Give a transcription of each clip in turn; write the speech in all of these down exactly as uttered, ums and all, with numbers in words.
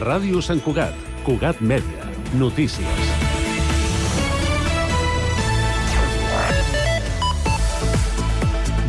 Ràdio Sant Cugat, Cugat Mèdia, notícies.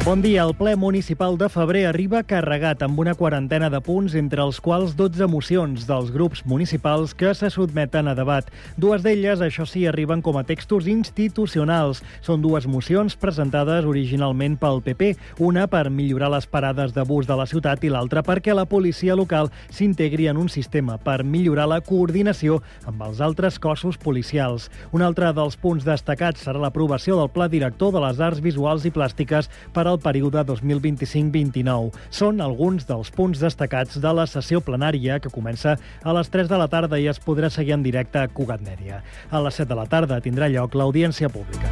Bon dia. El ple municipal de febrer arriba carregat amb una quarantena de punts, entre els quals dotze mocions dels grups municipals que se sotmeten a debat. Dues d'elles, això sí, arriben com a textos institucionals. Són dues mocions presentades originalment pel P P, una per millorar les parades de bus de la ciutat i l'altra perquè la policia local s'integri en un sistema per millorar la coordinació amb els altres cossos policials. Un altre dels punts destacats serà l'aprovació del Pla Director de les Arts Visuals i Plàstiques per al període dos mil vint-i-cinc vint i-nou. Són alguns dels punts destacats de la sessió plenària que comença a les tres de la tarda i es podrà seguir en directe a Cugat Mèdia. A les set de la tarda tindrà lloc l'audiència pública.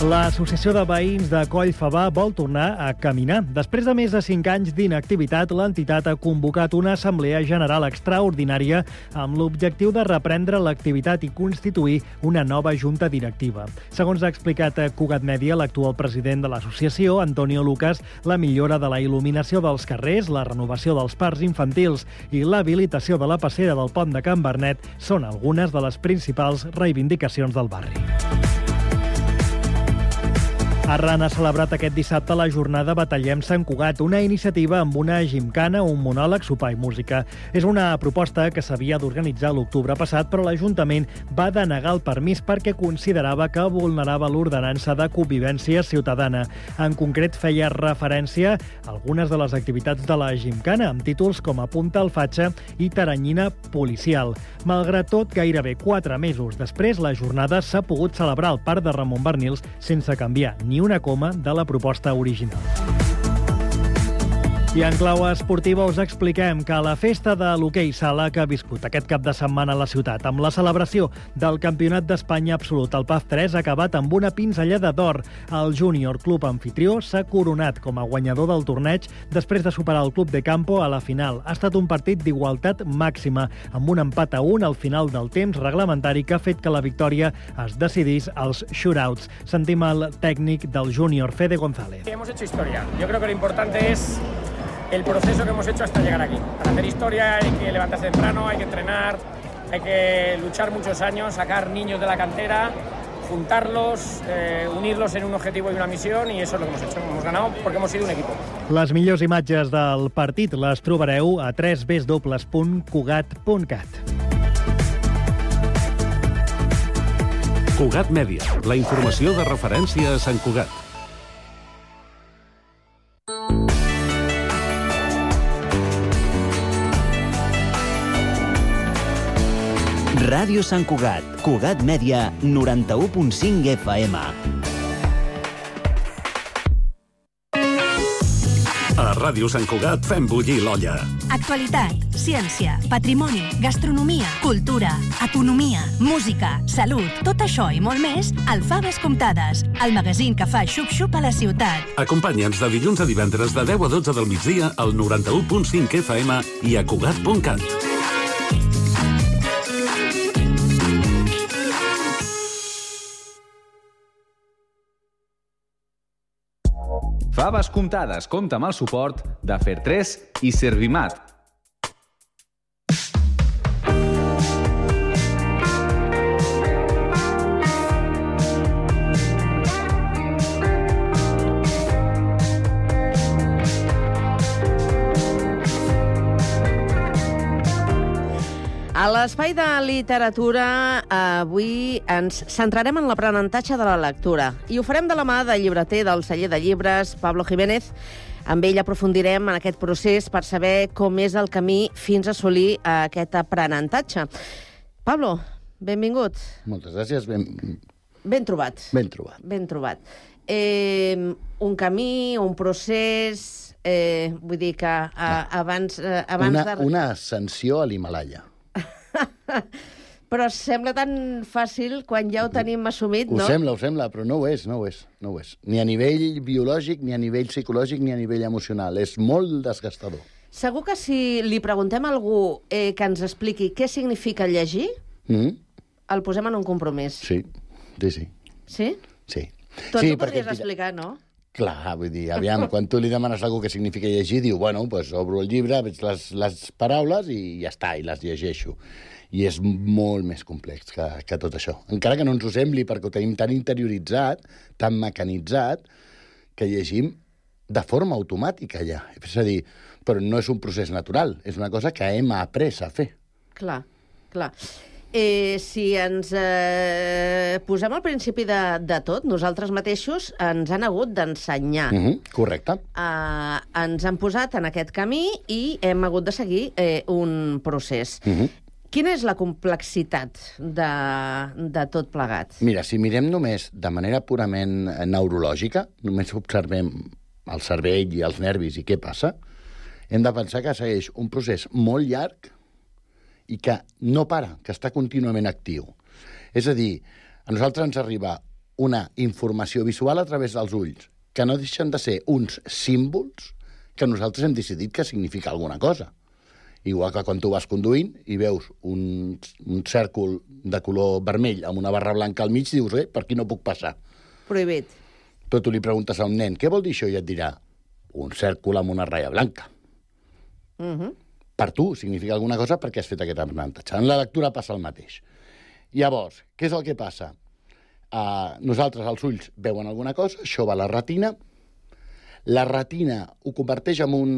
L'Associació de Veïns de Coll Favar vol tornar a caminar. Després de més de cinc anys d'inactivitat, l'entitat ha convocat una assemblea general extraordinària amb l'objectiu de reprendre l'activitat i constituir una nova junta directiva. Segons ha explicat a Cugat Mèdia l'actual president de l'associació, Antonio Lucas, la millora de la il·luminació dels carrers, la renovació dels parcs infantils i l'habilitació de la passera del pont de Can Bernet són algunes de les principals reivindicacions del barri. Arran ha celebrat aquest dissabte la jornada Batallem Sant Cugat, una iniciativa amb una gimcana, un monòleg, sopar i música. És una proposta que s'havia d'organitzar l'octubre passat, però l'Ajuntament va denegar el permís perquè considerava que vulnerava l'ordenança de convivència ciutadana. En concret, feia referència a algunes de les activitats de la gimcana, amb títols com Apunta al Fatxa i Taranyina Policial. Malgrat tot, gairebé quatre mesos després, la jornada s'ha pogut celebrar al Parc de Ramon Barnils sense canviar ni una coma de la proposta original. I en clau esportiva us expliquem que la festa de l'hoquei sala que ha viscut aquest cap de setmana a la ciutat amb la celebració del Campionat d'Espanya absolut al P A F tres ha acabat amb una pinzellada d'or. El Júnior Club Amfitrió s'ha coronat com a guanyador del torneig després de superar el Club de Campo a la final. Ha estat un partit d'igualtat màxima, amb un empat a un al final del temps reglamentari que ha fet que la victòria es decidís als shootouts. Sentim el tècnic del Júnior, Fede González. Hemos hecho historia. Yo creo que lo importante es el proceso que hemos hecho hasta llegar aquí. Para hacer historia hay que levantarse temprano, hay que entrenar, hay que luchar muchos años, sacar niños de la cantera, juntarlos, eh, unirlos en un objetivo y una misión, y eso es lo que hemos hecho. Hemos ganado porque hemos sido un equipo. Les millors imatges del partit les trobareu a w w w punt cugat punt cat. Cugat Mèdia, la informació de referència a Sant Cugat. Ràdio Sant Cugat, Cugat Mèdia, noranta-u punt cinc F M. A Ràdio Sant Cugat fem bullir l'olla. Actualitat, ciència, patrimoni, gastronomia, cultura, economia, música, salut, tot això i molt més al Faves Comptades, el magazín que fa xup-xup a la ciutat. Acompanya'ns de dilluns a divendres de deu a dotze del migdia al noranta-u punt cinc F M i a Cugat punt cat. Faves Comptades compta amb el suport de Fer tres i Servimat. A l'espai de literatura avui ens centrarem en l'aprenentatge de la lectura i ho farem de la mà del llibreter del celler de llibres, Pablo Jiménez. Amb ell aprofundirem en aquest procés per saber com és el camí fins a assolir aquest aprenentatge. Pablo, benvingut. Moltes gràcies. Ben, ben trobat. ben trobat. Ben trobat. Eh, un camí, un procés... Eh, vull dir que eh, abans... Eh, abans una, de... una ascensió a l'Himalaya. Però sembla tan fàcil quan ja ho tenim assumit, Ho no? sembla, ho sembla, però no ho és, no ho és, no ho és. Ni a nivell biològic, ni a nivell psicològic, ni a nivell emocional. És molt desgastador. Segur que si li preguntem a algú eh, que ens expliqui què significa llegir, Mm? el posem en un compromís. Sí, sí, sí. Sí? sí. Tu sí, ens ho podries dirà- explicar, no? Clar, vull dir, aviam, quan tu li demanes a algú què significa llegir, diu, bueno, doncs obro el llibre, veig les, les paraules i ja està, i les llegeixo. I és molt més complex que, que tot això. Encara que no ens ho sembli, perquè ho tenim tan interioritzat, tan mecanitzat, que llegim de forma automàtica ja. És a dir, però no és un procés natural, és una cosa que hem après a fer. Clar, clar. Eh, si ens eh, posem al principi de, de tot, nosaltres mateixos ens han hagut d'ensenyar. Mm-hmm, correcte. Eh, ens han posat en aquest camí i hem hagut de seguir eh, un procés. Mm-hmm. Quina és la complexitat de, de tot plegat? Mira, si mirem només de manera purament neurològica, només observem el cervell i els nervis i què passa, hem de pensar que segueix un procés molt llarg i que no para, que està contínuament actiu. És a dir, a nosaltres ens arriba una informació visual a través dels ulls, que no deixen de ser uns símbols que nosaltres hem decidit que significa alguna cosa. Igual que quan tu vas conduint i veus un, un cèrcol de color vermell amb una barra blanca al mig, dius, eh, per aquí no puc passar. Prohibit. Però tu li preguntes a un nen, què vol dir això? I et dirà, un cèrcol amb una ratlla blanca. Mhm. Uh-huh. Per tu significa alguna cosa perquè has fet aquest aprenentatge. En la lectura passa el mateix. Llavors, què és el que passa? Uh, nosaltres, els ulls, veuen alguna cosa, això va a la retina, la retina ho converteix en un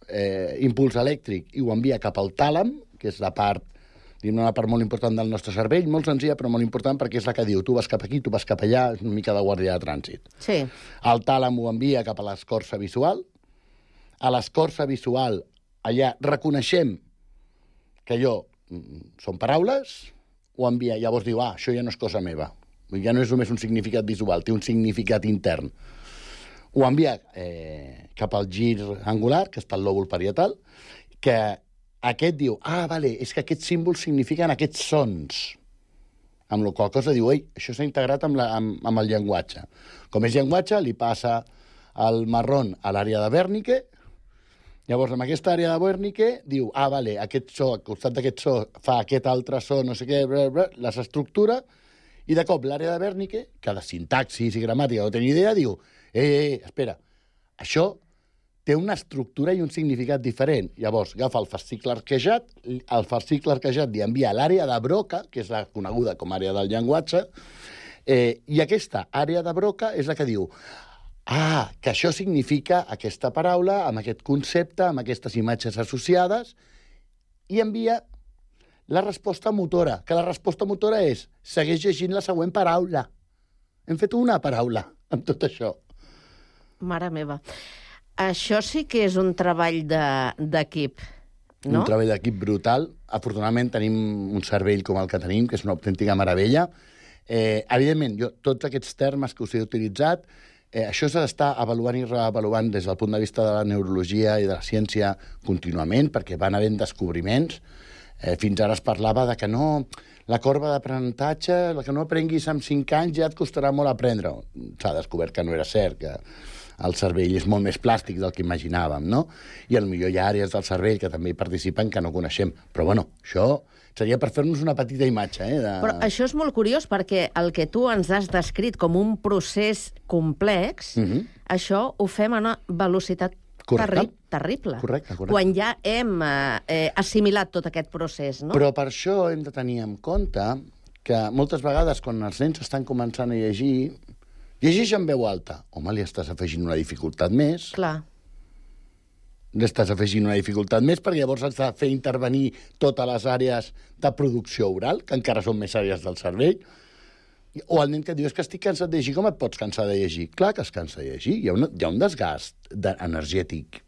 eh, impuls elèctric i ho envia cap al tàlam, que és la part, una part molt important del nostre cervell, molt senzilla però molt important perquè és la que diu tu vas cap aquí, tu vas cap allà, és una mica de guàrdia de trànsit. Sí. El tàlam ho envia cap a l'escorça visual, a l'escorça visual allà reconeixem que allò són paraules, ho envia, llavors diu, ah, això ja no és cosa meva. Ja no és només un significat visual, té un significat intern. Ho envia eh, cap al gir angular, que està al lòbul parietal, que aquest diu, ah, vale, és que aquests símbols signifiquen aquests sons. Amb la qual cosa diu, ei, això s'ha integrat amb, la, amb, amb el llenguatge. Com és llenguatge, li passa el marrón a l'àrea de Wernicke. Llavors, amb aquesta àrea de Wernicke, diu, ah, vale, aquest so, al costat d'aquest so, fa aquest altre so, no sé què, bla, bla, les estructura, i de cop l'àrea de Wernicke, que de sintaxis i gramàtica no tenia idea, diu, eh, eh, espera, això té una estructura i un significat diferent. Llavors, agafa el fascicle arquejat, el fascicle arquejat li envia a l'àrea de Broca, que és la coneguda com a àrea del llenguatge, eh, i aquesta àrea de Broca és la que diu, ah, que això significa aquesta paraula, amb aquest concepte, amb aquestes imatges associades, i envia la resposta motora, que la resposta motora és segueix llegint la següent paraula. Hem fet una paraula amb tot això. Mare meva. Això sí que és un treball d'equip, de, no? Un treball d'equip brutal. Afortunadament tenim un cervell com el que tenim, que és una autèntica meravella. Eh, evidentment, jo, tots aquests termes que us he utilitzat, Eh, això s'ha d'estar avaluant i reavaluant des del punt de vista de la neurologia i de la ciència contínuament, perquè van havent descobriments. Eh, fins ara es parlava de que no, la corba d'aprenentatge, la que no aprenguis amb cinc anys ja et costarà molt aprendre. S'ha descobert que no era cert, que el cervell és molt més plàstic del que imaginàvem, no? I potser hi ha àrees del cervell que també hi participen que no coneixem. Però, bueno, això seria per fer-nos una petita imatge. Eh, de... Però això és molt curiós perquè el que tu ens has descrit com un procés complex, mm-hmm. això ho fem a una velocitat terri terrible. Correcte, correcte. Quan ja hem eh, assimilat tot aquest procés, no? Però per això hem de tenir en compte que moltes vegades quan els nens estan començant a llegir, llegeix en veu alta. Home, li estàs afegint una dificultat més. Clar. L'estàs afegint una dificultat més perquè llavors has de fer intervenir totes les àrees de producció oral, que encara són més àrees del cervell. O el nen que diu, és que estic cansat de llegir, com et pots cansar de llegir? Clar que es cansa de llegir. Hi ha, una, hi ha un desgast de, energètic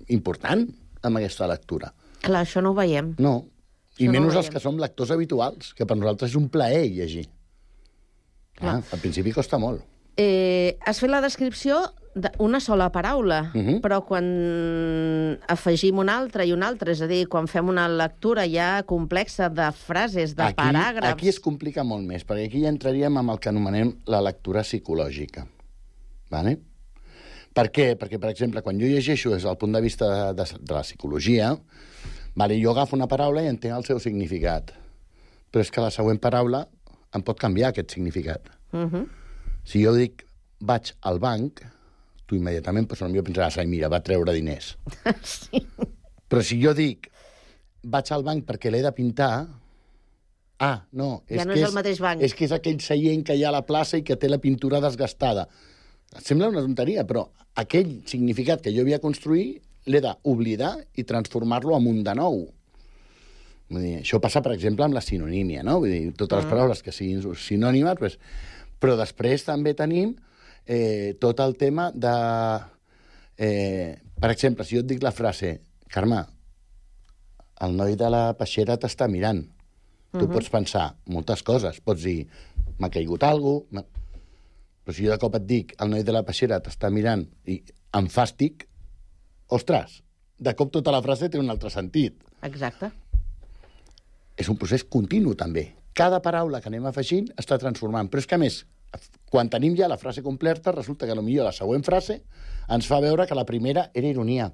important amb aquesta lectura. Clar, això no ho veiem. No. I això menys no els que som lectors habituals, que per nosaltres és un plaer llegir. Ah, al principi costa molt. Eh, has fet la descripció d'una sola paraula, uh-huh. però quan afegim una altra i una altra, és a dir, quan fem una lectura ja complexa de frases, de aquí, paràgrafs... Aquí es complica molt més, perquè aquí ja entraríem amb el que anomenem la lectura psicològica. Vale? Per què? Perquè, per exemple, quan jo llegeixo des del punt de vista de, de, de la psicologia, vale, jo agafo una paraula i entenc el seu significat. Però és que la següent paraula em pot canviar aquest significat. Uh-huh. Si jo dic vaig al banc, tu immediatament pues, potser pensaràs, ai, mira, va treure diners. Sí. Però si jo dic, vaig al banc perquè l'he de pintar, ah, no, és Ja no que és el mateix banc. És que és aquell seient que hi ha a la plaça i que té la pintura desgastada. Et sembla una tonteria, però aquell significat que jo havia construït l'he d'oblidar i transformar-lo en un de nou. Vull dir, això passa, per exemple, amb la sinonímia, no? Vull dir, totes les Mm. paraules que siguin sinònimes, pues, però després també tenim eh, tot el tema de... Eh, per exemple, si jo et dic la frase, Carme, el noi de la peixera t'està mirant. Tu Mhm. pots pensar moltes coses. Pots dir, m'ha caigut alguna cosa... Però si jo de cop et dic, el noi de la peixera t'està mirant i em fàstic, ostres, de cop tota la frase té un altre sentit. Exacte. És un procés continu, també. Cada paraula que anem afegint està transformant. Però és que, a més, quan tenim ja la frase completa, resulta que potser la següent frase ens fa veure que la primera era ironia.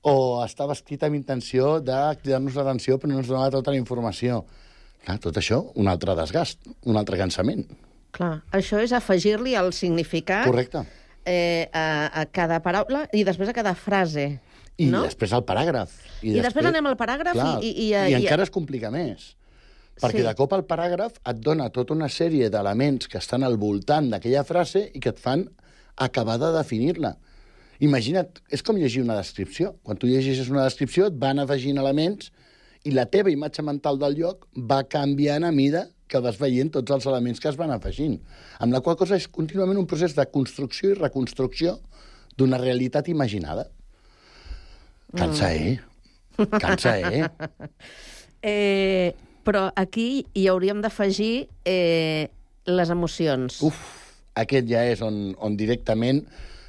O estava escrita amb intenció de cridar-nos l'atenció, però no ens donava tota la informació. Clar, tot això, un altre desgast, un altre cansament. Clar, això és afegir-li el significat Correcte. eh, a, a cada paraula i després a cada frase. I no? després al paràgraf. I després anem al paràgraf clar, i- i- i- I i- encara es complica més. Perquè Sí. de cop el paràgraf et dona tota una sèrie d'elements que estan al voltant d'aquella frase i que et fan acabar de definir-la. Imagina't, és com llegir una descripció. Quan tu llegeixes una descripció et van afegint elements i la teva imatge mental del lloc va canviant a mida que vas veient tots els elements que es van afegint. Amb la qual cosa és contínuament un procés de construcció i reconstrucció d'una realitat imaginada. Cansa, eh? Cansa, eh? Eh, però aquí hi hauríem d'afegir eh, les emocions. Uf, aquest ja és on, on directament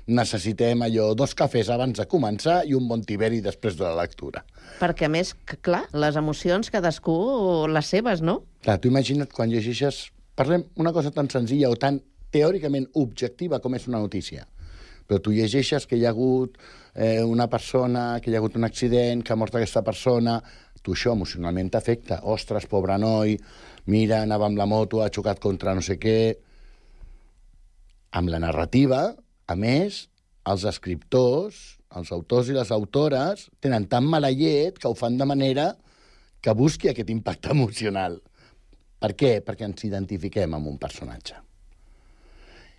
necessitem allò, dos cafès abans de començar i un bon tiberi després de la lectura. Perquè, a més, que, clar, les emocions, cadascú les seves, no? Clar, tu imagina't quan llegeixes... Parlem una cosa tan senzilla o tan teòricament objectiva com és una notícia. Però tu llegeixes que hi ha hagut eh, una persona, que hi ha hagut un accident, que ha mort aquesta persona... Tu això emocionalment t'afecta. Ostres, pobre noi, mira, anava amb la moto, ha xocat contra no sé què... Amb la narrativa, a més, els escriptors, els autors i les autores, tenen tan mala llet que ho fan de manera que busqui aquest impacte emocional. Per què? Perquè ens identifiquem amb un personatge.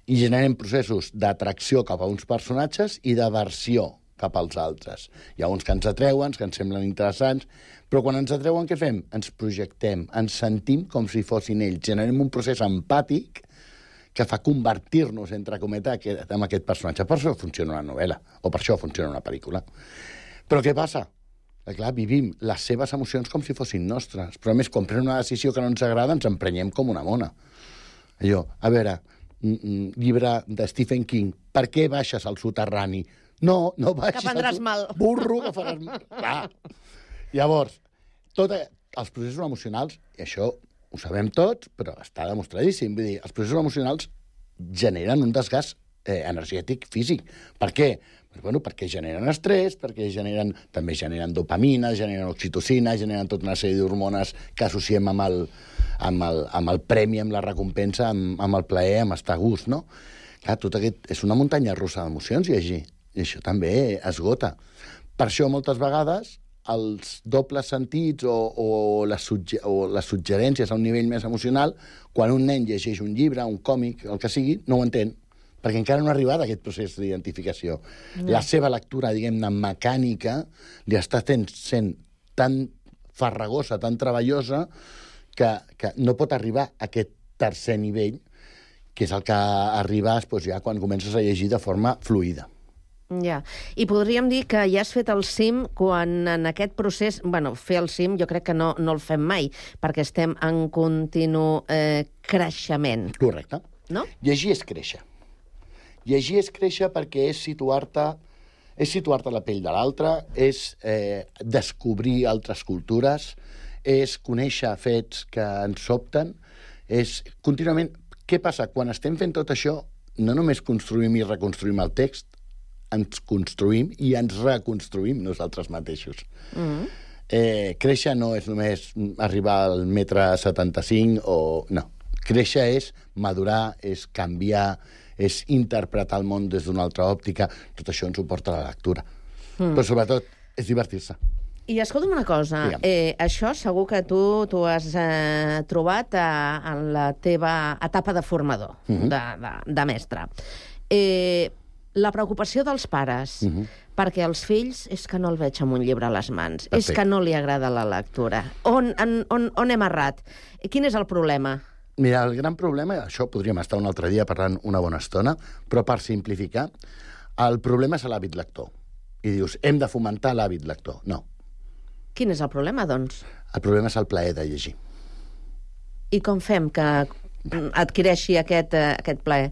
I generem processos d'atracció cap a uns personatges i d'aversió cap als altres. Hi ha uns que ens atreuen, que ens semblen interessants, però quan ens atreuen, què fem? Ens projectem, ens sentim com si fossin ells. Generem un procés empàtic que fa convertir-nos, entre cometes, en aquest personatge. Per això funciona una novel·la, o per això funciona una pel·lícula. Però què passa? Que, clar, vivim les seves emocions com si fossin nostres, però a més, quan prenem una decisió que no ens agrada, ens emprenyem com una mona. Allò, a veure, llibre de Stephen King, per què baixes al soterrani? No, no baixis Que prendràs al mal. burro, que faràs mal. Clar. Llavors, tots els processos emocionals, i això ho sabem tots, però està demostradíssim. Vull dir, els processos emocionals generen un desgast eh, energètic físic. Per què? Pues, bueno, perquè generen estrès, perquè generen, també generen dopamina, generen oxitocina, generen tota una sèrie d'hormones que associem amb el, amb, el, amb el premi, amb la recompensa, amb, amb el plaer, amb estar a gust, no? Clar, tot aquest és una muntanya russa d'emocions, llegir. I això també esgota. Per això, moltes vegades, els dobles sentits o, o, les sugge o les suggerències a un nivell més emocional, quan un nen llegeix un llibre, un còmic, el que sigui, no ho entén, perquè encara no ha arribat a aquest procés d'identificació. No. La seva lectura, diguem-ne, mecànica, li està sent, sent tan farragosa, tan treballosa, que, que no pot arribar a aquest tercer nivell, que és el que arribes doncs, ja quan comences a llegir de forma fluida. Ja. I podríem dir que ja has fet el cim quan en aquest procés... Bueno, fer el cim jo crec que no, no el fem mai, perquè estem en continu eh, creixement. Correcte. No? Llegir és créixer. Llegir és créixer perquè és situar-te és situar-te a la pell de l'altre, és eh, descobrir altres cultures, és conèixer fets que ens sobten, és contínuament... Què passa? Quan estem fent tot això, no només construïm i reconstruïm el text, ens construïm i ens reconstruïm nosaltres mateixos. Mm-hmm. eh, créixer no és només arribar al metre setanta-cinc o... No. Créixer és madurar, és canviar, és interpretar el món des d'una altra òptica. Tot això ens ho porta a la lectura. Mm. Però sobretot és divertir-se. I escolta'm una cosa, eh, això segur que tu t'ho has eh, trobat a, en la teva etapa de formador, mm-hmm. de, de, de mestre. Eh, la preocupació dels pares, mm-hmm. perquè els fills és que no el veig amb un llibre a les mans, Perfecte. És que no li agrada la lectura. On, on, on, on hem errat? Quin és el problema? Mira, el gran problema, això podríem estar un altre dia parlant una bona estona, però per simplificar, el problema és l'hàbit lector. I dius, hem de fomentar l'hàbit lector. No. Quin és el problema, doncs? El problema és el plaer de llegir. I com fem que adquireixi aquest, uh, aquest plaer?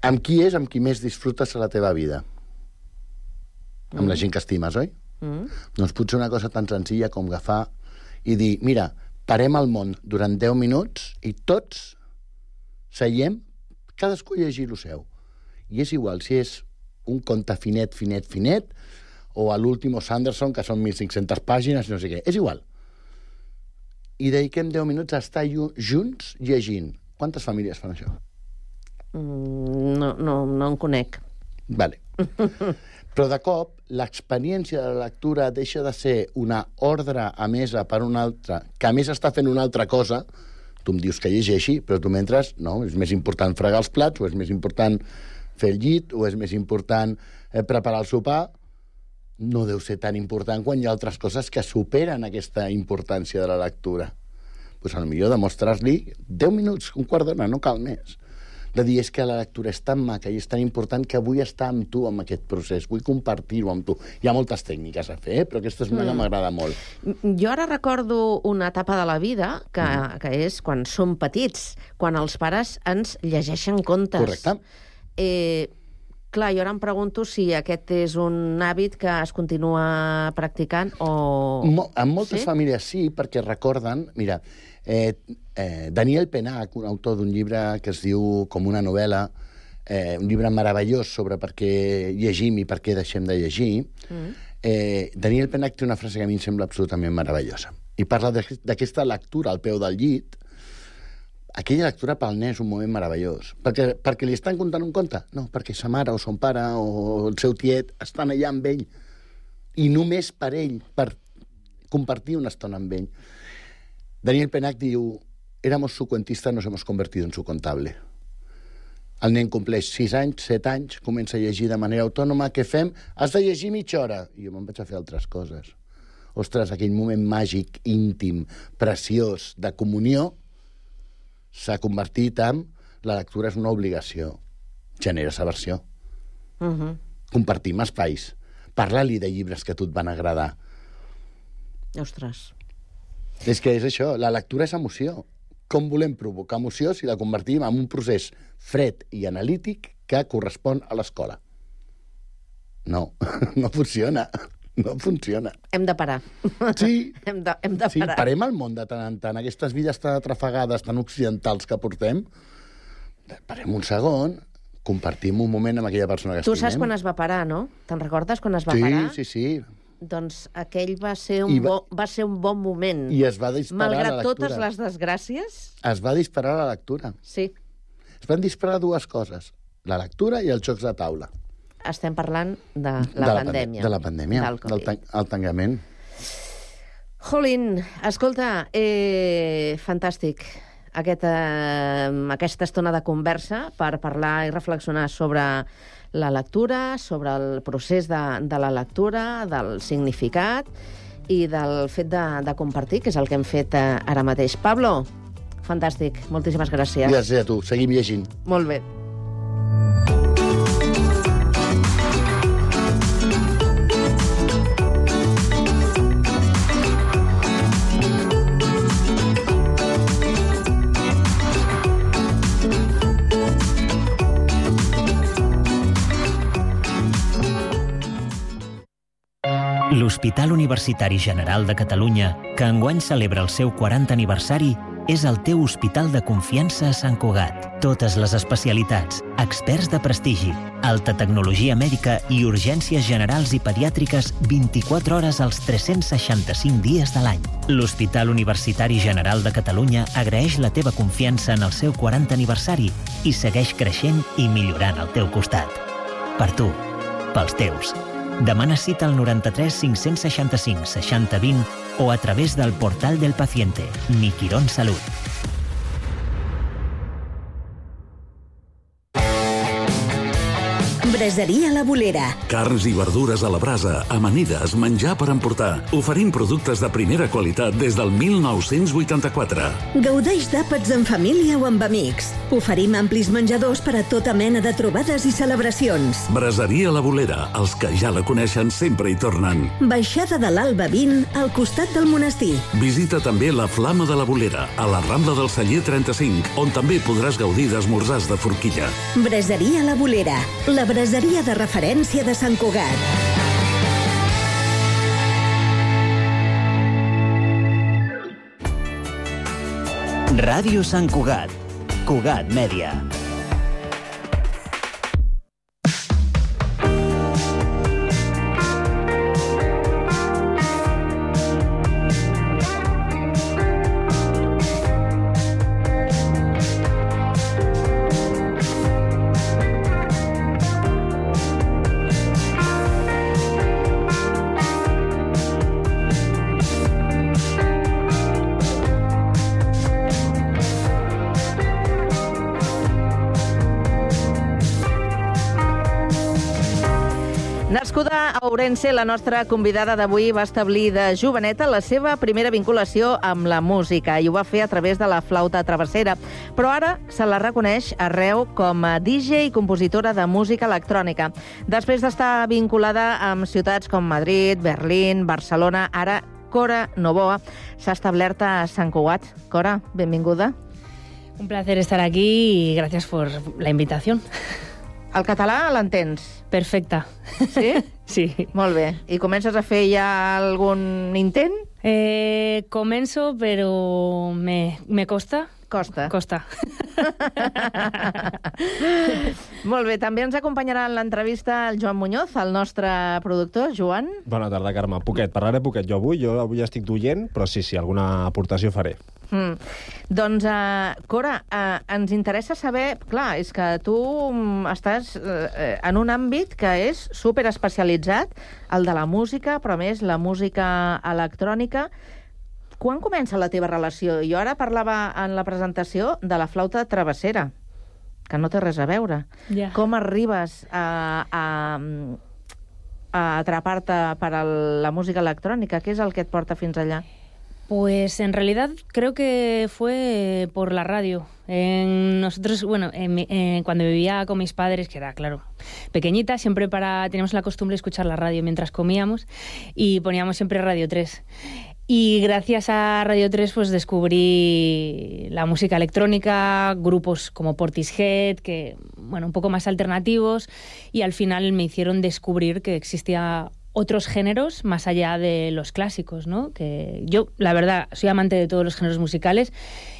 Amb qui és, amb qui més disfrutes a la teva vida? Mm. Amb la gent que estimes, oi? Mm. Doncs potser una cosa tan senzilla com agafar i dir, mira, parem el món durant deu minuts i tots seiem, cadascú llegir lo seu. I és igual si és un conte finet, finet, finet, o a l'último Sanderson, que són mil cinc-centes pàgines, no sé què. És igual. I dediquem deu minuts a estar junts llegint. Quantes famílies fan això? Mm, no, no, no en conec. Vale. Però de cop, l'experiència de la lectura deixa de ser una ordre emesa per una altra, que a més està fent una altra cosa. Tu em dius que llegeixi, però tu mentre, no, és més important fregar els plats, o és més important fer el llit, o és més important eh, preparar el sopar. No deu ser tan important quan hi ha altres coses que superen aquesta importància de la lectura. Doncs potser demostrar-li deu minuts, un quart d'hora, no cal més. De dir, és que la lectura és tan maca i és tan important que vull estar amb tu en aquest procés, vull compartir-ho amb tu. Hi ha moltes tècniques a fer, eh? Però aquesta és una mm. que m'agrada molt. Jo ara recordo una etapa de la vida que, mm. que és quan som petits, quan els pares ens llegeixen contes. Correcte. Eh, clar, jo ara em pregunto si aquest és un hàbit que es continua practicant o... Mo en moltes sí? famílies sí, perquè recorden... Mira, eh, eh, Daniel Penach, un autor d'un llibre que es diu Com una novel·la, eh, un llibre meravellós sobre per què llegim i per què deixem de llegir, mm. eh, Daniel Penach té una frase que a mi em sembla absolutament meravellosa. I parla d'aquesta lectura al peu del llit. Aquella lectura pel nen és un moment meravellós. Perquè, perquè li estan contant un conte? No, perquè sa mare o son pare o el seu tiet estan allà amb ell. I només per ell, per compartir una estona amb ell. Daniel Penach diu, éramos su cuentista, nos hemos convertido en su contable. El nen compleix sis anys, set anys, comença a llegir de manera autònoma. Què fem? Has de llegir mitja hora. I jo me'n vaig a fer altres coses. Ostres, aquell moment màgic, íntim, preciós, de comunió, s'ha convertit en la lectura és una obligació. Genera aversió. Uh-huh. Compartim espais. Parla-li de llibres que a tu et van agradar. Ostres. És que és això, la lectura és emoció. Com volem provocar emoció si la convertim en un procés fred i analític que correspon a l'escola? No, no funciona. No funciona. Hem de parar. Sí, hem de, hem de sí parar. Parem el món de tant en tant. Aquestes vides tan atrafegades, tan occidentals que portem, parem un segon, compartim un moment amb aquella persona que tu estimem. Tu saps quan es va parar, no? Te'n recordes quan es va sí, parar? Sí, sí, sí. Doncs aquell va ser un, va... Bo, va ser un bon moment. I es va disparar Malgrat la lectura. totes les desgràcies... Es va disparar la lectura. Sí. Es van disparar dues coses, la lectura i els jocs de taula. Estem parlant de la, de la pandèmia. De la pandèmia, del, del tan el tancament. Jolín, escolta, eh, fantàstic Aquest, eh, aquesta estona de conversa per parlar i reflexionar sobre la lectura, sobre el procés de, de la lectura, del significat i del fet de, de compartir, que és el que hem fet eh, ara mateix. Pablo, fantàstic, moltíssimes gràcies. Gràcies a tu, seguim llegint. Molt bé. L'Hospital Universitari General de Catalunya, que enguany celebra el seu quaranta aniversari, és el teu hospital de confiança a Sant Cugat. Totes les especialitats, experts de prestigi, alta tecnologia mèdica i urgències generals i pediàtriques vint-i-quatre hores als tres-cents seixanta-cinc dies de l'any. L'Hospital Universitari General de Catalunya agraeix la teva confiança en el seu quaranta aniversari i segueix creixent i millorant al teu costat. Per tu, pels teus. Demana cita al noranta-tres cinc-cents seixanta-cinc seixanta vint o a través del portal del paciente, Mi Quirón Salut. Braseria La Bolera. Carns i verdures a la brasa, amanides, menjar per emportar. Oferim productes de primera qualitat des del mil nou-cents vuitanta-quatre. Gaudeix d'àpats en família o amb amics. Oferim amplis menjadors per a tota mena de trobades i celebracions. Braseria La Bolera. Els que ja la coneixen sempre hi tornen. Baixada de l'Alba vint, al costat del monestir. Visita també la Flama de la Bolera, a la Rambla del Celler trenta-cinc, on també podràs gaudir d'esmorzars de forquilla. Braseria La Bolera. La braseria de referència de Sant Cugat. Ràdio Sant Cugat. Cugat Mèdia. Nascuda a Ourense, la nostra convidada d'avui va establir de joveneta la seva primera vinculació amb la música i ho va fer a través de la flauta travessera. Però ara se la reconeix arreu com a D J i compositora de música electrònica. Després d'estar vinculada amb ciutats com Madrid, Berlín, Barcelona, ara Cora Novoa s'ha establert a Sant Cugat. Cora, benvinguda. Un placer estar aquí y gracias por la invitación. El català l'entens? Perfecte. Sí? Sí. Molt bé. I comences a fer ja algun intent? Eh, començo, però me, me costa. Costa. Costa. Molt bé, també ens acompanyarà en l'entrevista el Joan Muñoz, el nostre productor. Joan? Bona tarda, Carme. Poquet, parlaré poquet jo avui. Jo avui estic d'oient, però sí, sí, alguna aportació faré. Mm. Doncs, uh, Cora, uh, ens interessa saber... Clar, és que tu um, estàs uh, en un àmbit que és superespecialitzat, el de la música, però a més la música electrònica. Quan comença la teva relació? Jo ara parlava en la presentació de la flauta travessera, que no té res a veure. Ja. Com arribes a, a, a atrapar-te per a la música electrònica? Què és el que et porta fins allà? Pues en realidad creo que fue por la radio. En nosotros, bueno, en, en, cuando vivía con mis padres, que era, claro, pequeñita, siempre para teníamos la costumbre de escuchar la radio mientras comíamos y poníamos siempre Radio tres. Y gracias a Radio tres pues descubrí la música electrónica, grupos como Portishead, que, bueno, un poco más alternativos, y al final me hicieron descubrir que existía otros géneros más allá de los clásicos, ¿no? Que yo, la verdad, soy amante de todos los géneros musicales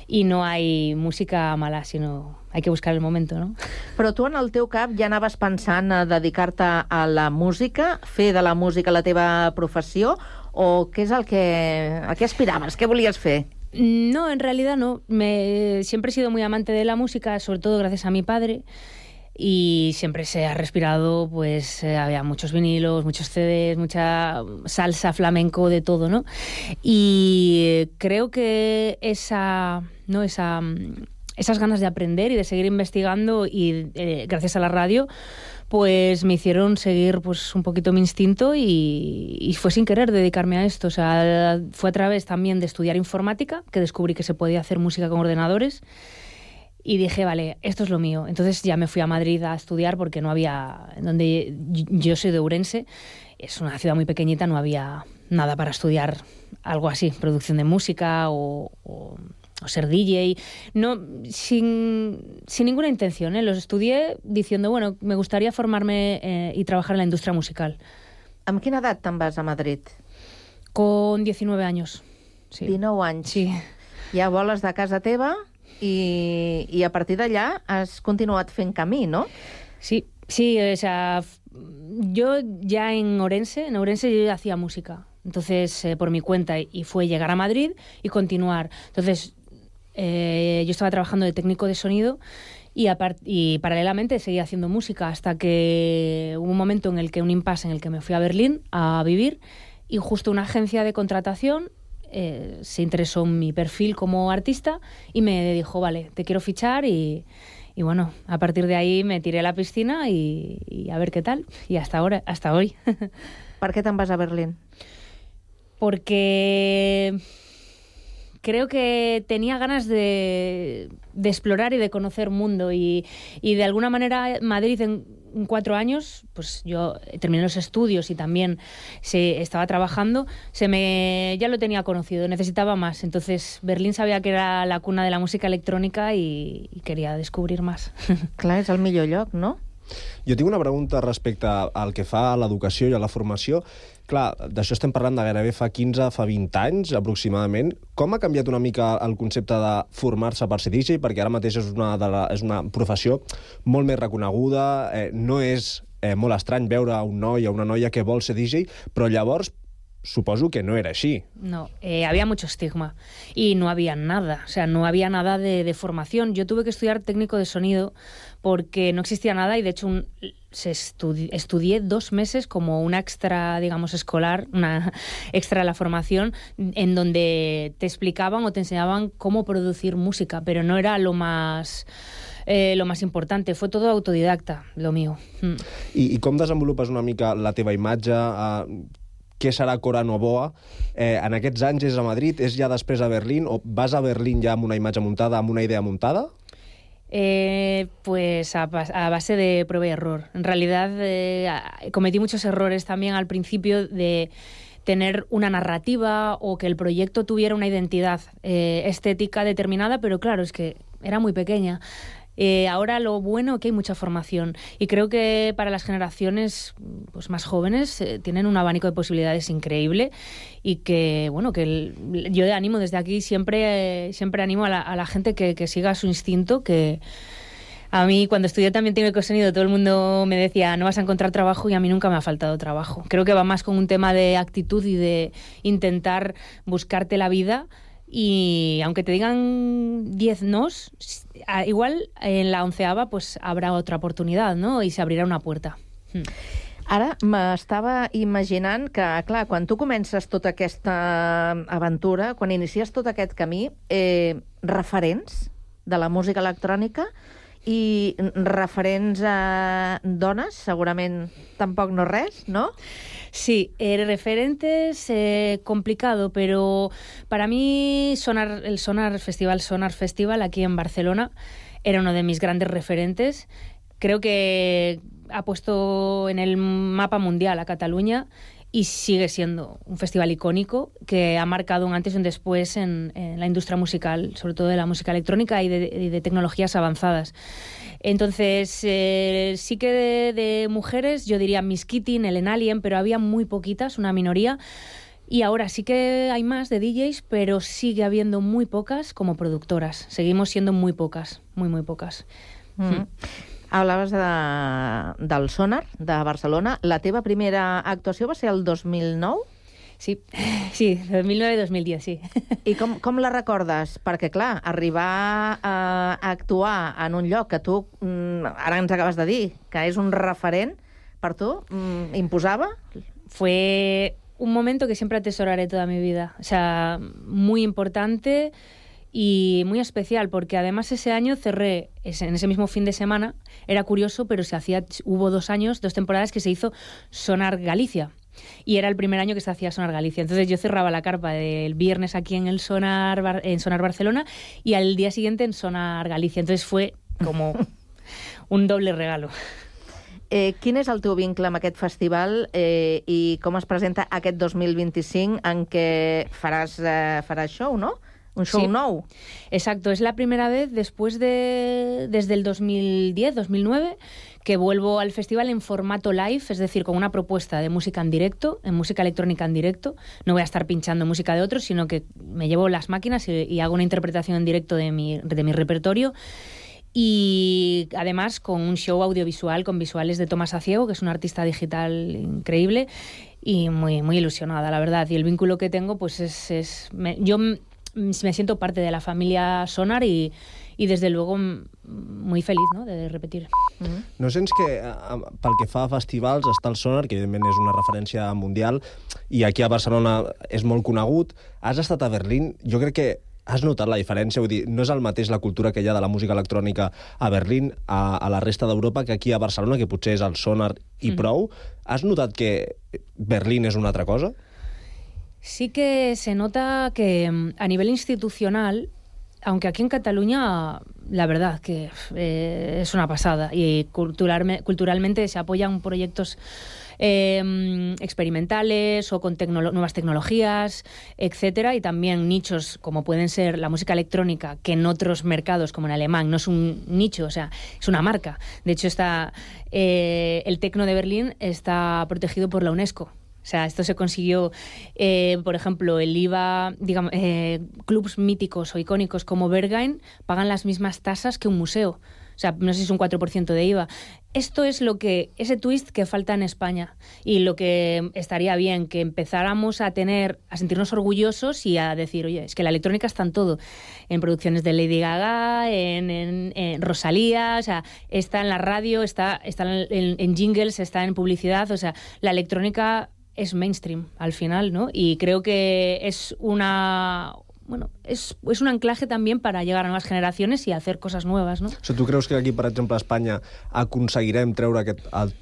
y no hay música mala, sino hay que buscar el momento, no? Però tu en el teu cap ja anaves pensant a dedicar-te a la música, fer de la música la teva professió, o què és el que... a què aspiraves? Què volies fer? No, en realidad no. Me... Siempre he sido muy amante de la música, sobre todo gracias a mi padre. Y siempre se ha respirado, pues eh, había muchos vinilos, muchos C Ds, mucha salsa, flamenco, de todo, ¿no? Y creo que esa, ¿no? esa, esas ganas de aprender y de seguir investigando, y eh, gracias a la radio, pues me hicieron seguir pues un poquito mi instinto, y, y fue sin querer dedicarme a esto. O sea, fue a través también de estudiar informática que descubrí que se podía hacer música con ordenadores. Y dije, vale, esto es lo mío. Entonces ya me fui a Madrid a estudiar porque no había... Donde yo soy de Ourense, es una ciudad muy pequeñita, no había nada para estudiar algo así, producción de música o, o, o ser D J. No, sin, sin ninguna intención, ¿eh? Los estudié diciendo, bueno, me gustaría formarme eh, y trabajar en la industria musical. Amb quina edat te'n vas a Madrid? Con diecinueve años. Sí. dinou anys. Sí. Ja voles de casa teva i, i a partir d'allà has continuat fent camí, ¿no? Sí, sí, o sea, yo ya en Orense, en Orense yo hacía música, entonces eh, por mi cuenta, y fue llegar a Madrid y continuar. Entonces, eh, yo estaba trabajando de técnico de sonido y, y paralelamente seguía haciendo música hasta que hubo un momento en el que, un impasse en el que me fui a Berlín a vivir y justo una agencia de contratación eh, se interesó en mi perfil como artista y me dijo, vale, te quiero fichar y... Y bueno, a partir de ahí me tiré a la piscina y, y a ver qué tal. Y hasta ahora, hasta hoy. ¿Por qué te vas a Berlín? Porque creo que tenía ganas de, de explorar y de conocer mundo. Y, y de alguna manera Madrid en cuatro años, pues yo terminé los estudios y también se estaba trabajando, se me ya lo tenía conocido, necesitaba más. Entonces Berlín sabía que era la cuna de la música electrònica i, i queria descobrir más. Clar, és el millor lloc, no? Jo tinc una pregunta respecte al que fa a l'educació i a la formació. Clar, d'això estem parlant de gairebé fa quinze, fa vint anys, aproximadament. Com ha canviat una mica el concepte de formar-se per ser D J? Perquè ara mateix és una, de la, és una professió molt més reconeguda, eh, no és eh, molt estrany veure un noi o una noia que vol ser D J, però llavors suposo que no era así. No, eh, había mucho estigma y no había nada, o sea, no había nada de, de formación. Yo tuve que estudiar técnico de sonido porque no existía nada y de hecho un, se estudi estudié dos meses como una extra, digamos, escolar, una extra de la formación, en donde te explicaban o te enseñaban cómo producir música, pero no era lo más... Eh, lo más importante, fue todo autodidacta, lo mío. Mm. I, I com desenvolupes una mica la teva imatge? Uh, què serà Cora Novoa? Eh, en aquests anys és a Madrid, és ja després a Berlín, o vas a Berlín ja amb una imatge muntada, amb una idea muntada? Eh, pues a, a base de prueba y error. En realidad eh, cometí muchos errores también al principio de tener una narrativa o que el proyecto tuviera una identidad eh, estética determinada, pero claro, es que era muy pequeña. Eh, ahora lo bueno es que hay mucha formación y creo que para las generaciones pues, más jóvenes eh, tienen un abanico de posibilidades increíble y que, bueno, que el, yo animo desde aquí, siempre, eh, siempre animo a la, a la gente que, que siga su instinto, que a mí cuando estudié también técnico de sonido todo el mundo me decía no vas a encontrar trabajo y a mí nunca me ha faltado trabajo. Creo que va más con un tema de actitud y de intentar buscarte la vida. Y aunque te digan diez nos, igual en la onceava pues habrá otra oportunidad, ¿no? Y se abrirà una puerta. Mm. Ara m'estava imaginant que, clar, quan tu comences tota aquesta aventura, quan inicies tot aquest camí, eh, referents de la música electrònica i referents a dones, segurament tampoc no res, ¿no? Sí, eh, referentes, eh, complicado, pero para mí Sonar, el Sonar Festival, Sonar Festival aquí en Barcelona era uno de mis grandes referentes. Creo que ha puesto en el mapa mundial a Cataluña y sigue siendo un festival icónico que ha marcado un antes y un después en, en la industria musical, sobre todo de la música electrónica y de, de, de tecnologías avanzadas. Entonces, eh, sí que de, de mujeres, yo diría Miss Kitty, Ellen Allien, pero había muy poquitas, una minoría. Y ahora sí que hay más de D Js, pero sigue habiendo muy pocas como productoras. Seguimos siendo muy pocas, muy, muy pocas. Mm. Mm. Hablaves de, del Sonar, de Barcelona. La teva primera actuació va ser el dos mil nou? Sí, sí, dos mil nueve dos mil diez, sí. I com, com la recordes? Perquè, clar, arribar a actuar en un lloc que tu, ara ens acabes de dir, que és un referent per tu, imposava? Fue un momento que siempre atesoraré toda mi vida. O sea, muy importante y muy especial, porque además ese año cerré, en ese mismo fin de semana, era curioso, pero se hacía, hubo dos años, dos temporadas que se hizo Sonar Galicia. Y era el primer año que se hacía Sonar Galicia. Entonces yo cerraba la carpa del viernes aquí en el Sonar, en Sonar Barcelona y al día siguiente en Sonar Galicia. Entonces fue como un doble regalo. Eh, quin és el teu vincle amb aquest festival eh, i com es presenta aquest dos mil vint-i-cinc en què faràs, eh, faràs show, no? un show sí. nou. Exacto, es la primera vez después de desde el dos mil diez, dos mil nueve que vuelvo al festival en formato live, es decir, con una propuesta de música en directo, en música electrónica en directo. No voy a estar pinchando música de otros, sino que me llevo las máquinas y, y hago una interpretación en directo de mi, de mi repertorio. Y además con un show audiovisual con visuales de Tomás Aciego, que es un artista digital increíble, y muy, muy ilusionada, la verdad. Y el vínculo que tengo, pues es... es me, yo me siento parte de la familia Sonar y, i des de luego muy feliç, no?, de repetir. Mm-hmm. No sents que pel que fa a festivals està el Sonar, que evidentment és una referència mundial, i aquí a Barcelona és molt conegut. Has estat a Berlín, jo crec que has notat la diferència? Vull dir, no és el mateix la cultura que hi ha de la música electrònica a Berlín, a, a la resta d'Europa, que aquí a Barcelona, que potser és el Sonar i mm. prou. Has notat que Berlín és una altra cosa? Sí que se nota que a nivel institucional, aunque aquí en Cataluña, la verdad que eh, es una pasada, y culturalme, culturalmente se apoyan proyectos Eh, experimentales o con tecno- nuevas tecnologías, etcétera, y también nichos como pueden ser la música electrónica, que en otros mercados como en alemán no es un nicho, o sea, es una marca. De hecho, está eh, el tecno de Berlín está protegido por la UNESCO. O sea, esto se consiguió, eh, por ejemplo, el I V A, digamos, eh, clubs míticos o icónicos como Berghain pagan las mismas tasas que un museo. O sea, no sé si es un cuatro por ciento de I V A. Esto es lo que, ese twist que falta en España, y lo que estaría bien, que empezáramos a tener, a sentirnos orgullosos y a decir, oye, es que la electrónica está en todo, en producciones de Lady Gaga, en, en, en Rosalía, o sea, está en la radio, está, está en, en jingles, está en publicidad, o sea, la electrónica es mainstream al final, ¿no? Y creo que es una... Bueno, es, es un anclaje también para llegar a nuevas generaciones y hacer cosas nuevas, ¿no? O sigui, tu creus que aquí, per exemple, a Espanya aconseguirem treure aquest... El,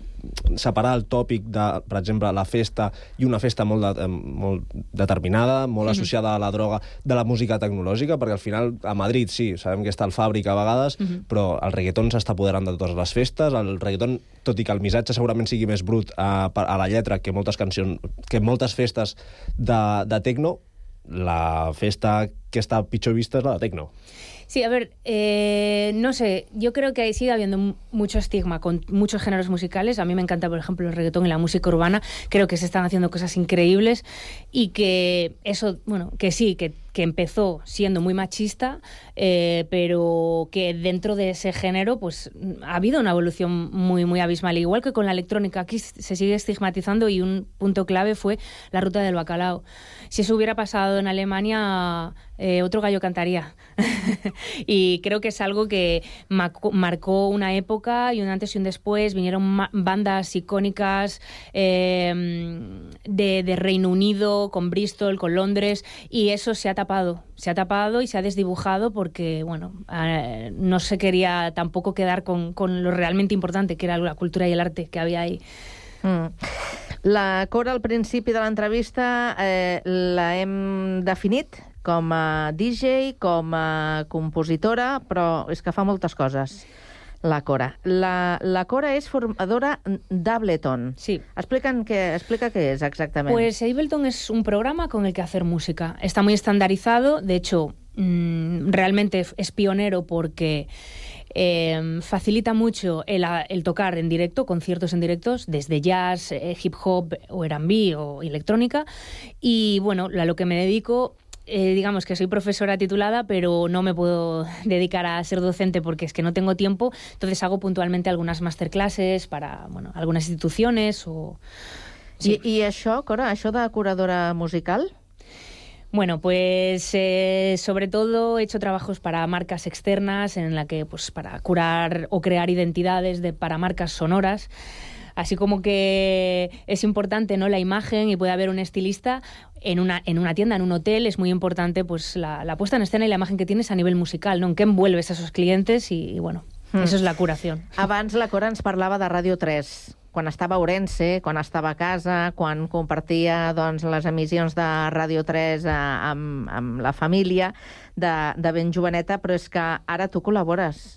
separar el tòpic de, per exemple, la festa i una festa molt, de, molt determinada, molt Mhm. associada a la droga, de la música tecnològica, perquè al final a Madrid sí, sabem que està el Fàbric a vegades, Mhm. però el reggaeton s'està apoderant de totes les festes, el reggaeton, tot i que el missatge segurament sigui més brut a, a la lletra que moltes cancions, que moltes festes de, de tecno, la festa que està pitjor vista és la de tecno. Sí, a ver, eh, no sé, yo creo que sigue habiendo m- mucho estigma con muchos géneros musicales. A mí me encanta, por ejemplo, el reggaetón y la música urbana. Creo que se están haciendo cosas increíbles y que eso, bueno, que sí, que, que empezó siendo muy machista, eh, pero que dentro de ese género pues ha habido una evolución muy, muy abismal. Igual que con la electrónica, aquí se sigue estigmatizando, y un punto clave fue la ruta del bacalao. Si eso hubiera pasado en Alemania, eh, otro gallo cantaría. Y creo que es algo que marcó, marcó una época y un antes y un después. Vinieron ma- bandas icónicas eh, de, de Reino Unido, con Bristol, con Londres, y eso se ha tapado. Se ha tapado y se ha desdibujado porque, bueno, eh, no se quería tampoco quedar con, con lo realmente importante, que era la cultura y el arte que había ahí. Mm. La Cora, al principi de l'entrevista, eh, la hem definit com a D J, com a compositora, però és que fa moltes coses, la Cora. La, la Cora és formadora d'Ableton. Sí. Explica'n què, explica qué es exactamente. Pues Ableton es un programa con el que hacer música. Está muy estandarizado, de hecho, mmm, realmente es pionero porque eh, facilita mucho el, el tocar en directo, conciertos en directos, desde jazz, eh, hip hop o R and B o electrónica. Y bueno, a lo que me dedico... Eh, digamos que soy profesora titulada, pero no me puedo dedicar a ser docente porque es que no tengo tiempo, entonces hago puntualmente algunas masterclasses para, bueno, algunas instituciones o... Sí. I, I això, Cora, això de curadora musical? Bueno, pues eh, sobre todo he hecho trabajos para marcas externas en la que, pues, para curar o crear identidades de, para marcas sonoras. Así como que es importante, ¿no?, la imagen, y puede haber un estilista en una, en una tienda, en un hotel. Es muy importante pues la, la puesta en escena y la imagen que tienes a nivel musical, ¿no?, en qué envuelves a esos clientes y, y bueno, mm. eso es la curación. Abans la Cora ens parlava de Ràdio tres, quan estava a Ourense, quan estava a casa, quan compartia doncs, les emissions de Ràdio tres eh, amb, amb la família de, de ben joveneta, però és que ara tu col·labores.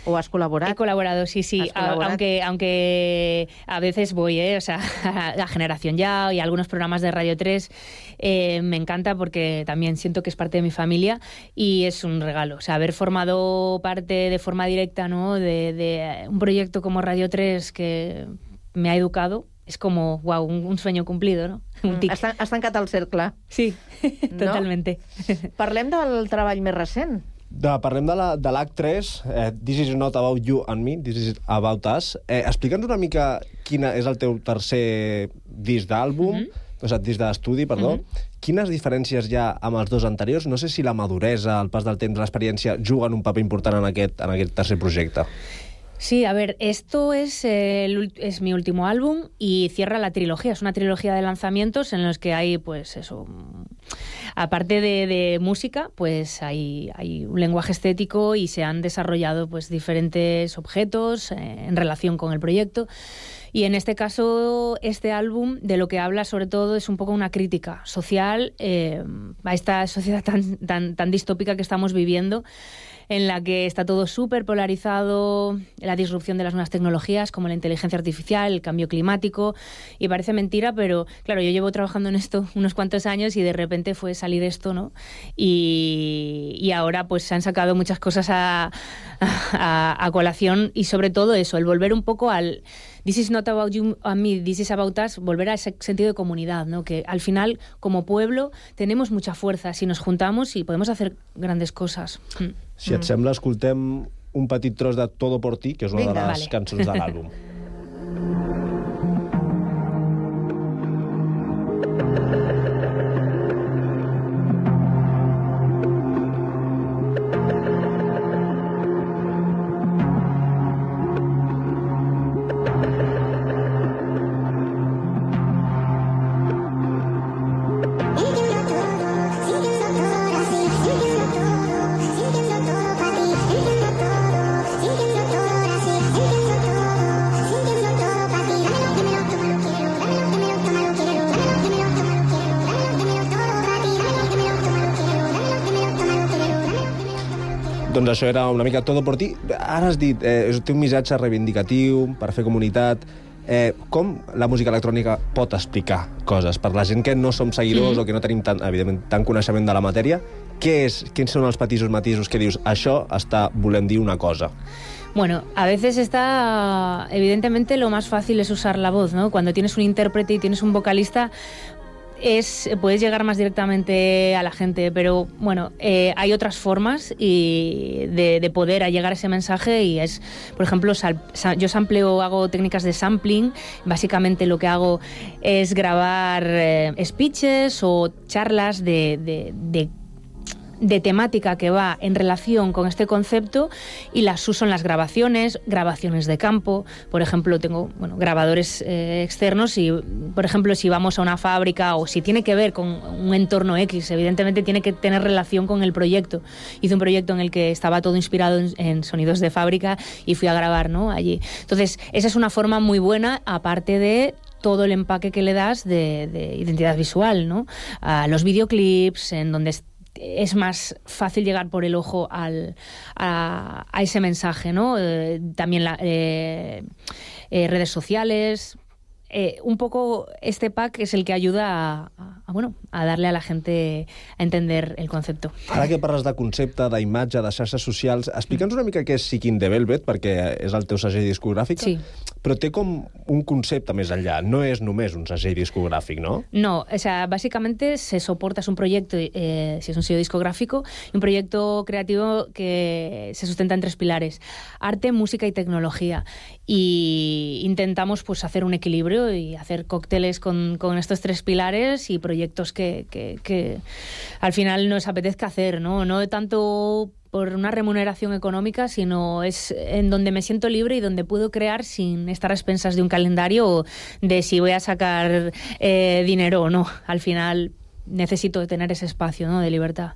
¿O has colaborado? He colaborado, sí, sí, a, aunque, aunque a veces voy, ¿eh? O sea, a Generación Ya y a algunos programas de Radio tres, eh, me encanta porque también siento que es parte de mi familia y es un regalo. O sea, haber formado parte de forma directa, ¿no?, de, de un proyecto como Radio tres que me ha educado, és com, uau, un, un sueño cumplido, no? Un tic. Has, has tancat el cercle. Sí, no? Totalmente. Parlem del treball més recent. De, parlem de la, de l'Act tres, eh, This is not about you and me, this is about us. Eh, Explica'ns una mica quina és el teu tercer disc d'àlbum, mm-hmm. o sigui, disc d'estudi, perdó. Mm-hmm. Quines diferències hi ha amb els dos anteriors? No sé si la maduresa, el pas del temps, l'experiència juguen un paper important en aquest, en aquest tercer projecte. Sí, a ver, esto es, eh, el, es mi último álbum y cierra la trilogía. Es una trilogía de lanzamientos en los que hay, pues eso, aparte de, de música, pues hay, hay un lenguaje estético y se han desarrollado pues diferentes objetos eh, en relación con el proyecto. Y en este caso, este álbum de lo que habla sobre todo es un poco una crítica social eh, a esta sociedad tan, tan, tan distópica que estamos viviendo, en la que está todo súper polarizado, la disrupción de las nuevas tecnologías como la inteligencia artificial, el cambio climático, y parece mentira, pero claro, yo llevo trabajando en esto unos cuantos años y de repente fue salir esto, ¿no? Y, y ahora pues se han sacado muchas cosas a, a, a colación y sobre todo eso, el volver un poco al This is not about you and me, this is about us, volver a ese sentido de comunidad, ¿no? Que al final, como pueblo, tenemos mucha fuerza si nos juntamos y podemos hacer grandes cosas. Si et sembla, escoltem un petit tros de Todo por ti, que és una Vinga, de les vale. cançons de l'àlbum. Doncs això era una mica Todo por ti. Ara has dit, eh, té un missatge reivindicatiu per fer comunitat. Eh, com la música electrònica pot explicar coses? Per la gent que no som seguidors mm-hmm. o que no tenim tant, evidentment, tant coneixement de la matèria, què és, quins són els petits matisos que dius això està volent dir una cosa? Bueno, a veces está, evidentemente, lo más fácil es usar la voz, ¿no? Cuando tienes un intérprete y tienes un vocalista, es, puedes llegar más directamente a la gente, pero bueno, eh, hay otras formas y de, de poder llegar a ese mensaje y es, por ejemplo, sal, sa, yo sampleo, hago técnicas de sampling, básicamente lo que hago es grabar eh, speeches o charlas de, de, de de temática que va en relación con este concepto y las uso en las grabaciones, grabaciones de campo. Por ejemplo, tengo bueno, grabadores eh, externos y, por ejemplo, si vamos a una fábrica o si tiene que ver con un entorno X, evidentemente tiene que tener relación con el proyecto. Hice un proyecto en el que estaba todo inspirado en, en sonidos de fábrica y fui a grabar, ¿no?, allí. Entonces, esa es una forma muy buena, aparte de todo el empaque que le das de, de identidad visual, ¿no? A los videoclips, en donde es más fácil llegar por el ojo al, a, a ese mensaje, ¿no? Eh, también la, eh, eh, redes sociales. Eh, un poco este pack es el que ayuda a, a, a, bueno, a darle a la gente a entender el concepto. Ara que parles de concepte, d'imatge, de xarxes socials, explica'ns una mica què és Seeking the Velvet, perquè és el teu segell discogràfic, sí. Però té com un concepte més enllà, no és només un segell discográfico, ¿no? No, o sea, básicamente se soporta, es un proyecto, eh, si es un sello discográfico, un proyecto creativo que se sustenta en tres pilares: arte, música y tecnología. Y intentamos pues hacer un equilibrio y hacer cócteles con, con estos tres pilares y proyectos que, que, que al final nos apetezca hacer, ¿no? No tanto por una remuneración económica, sino es en donde me siento libre y donde puedo crear sin estar a expensas de un calendario o de si voy a sacar eh, dinero o no. Al final necesito tener ese espacio, ¿no?, de libertad.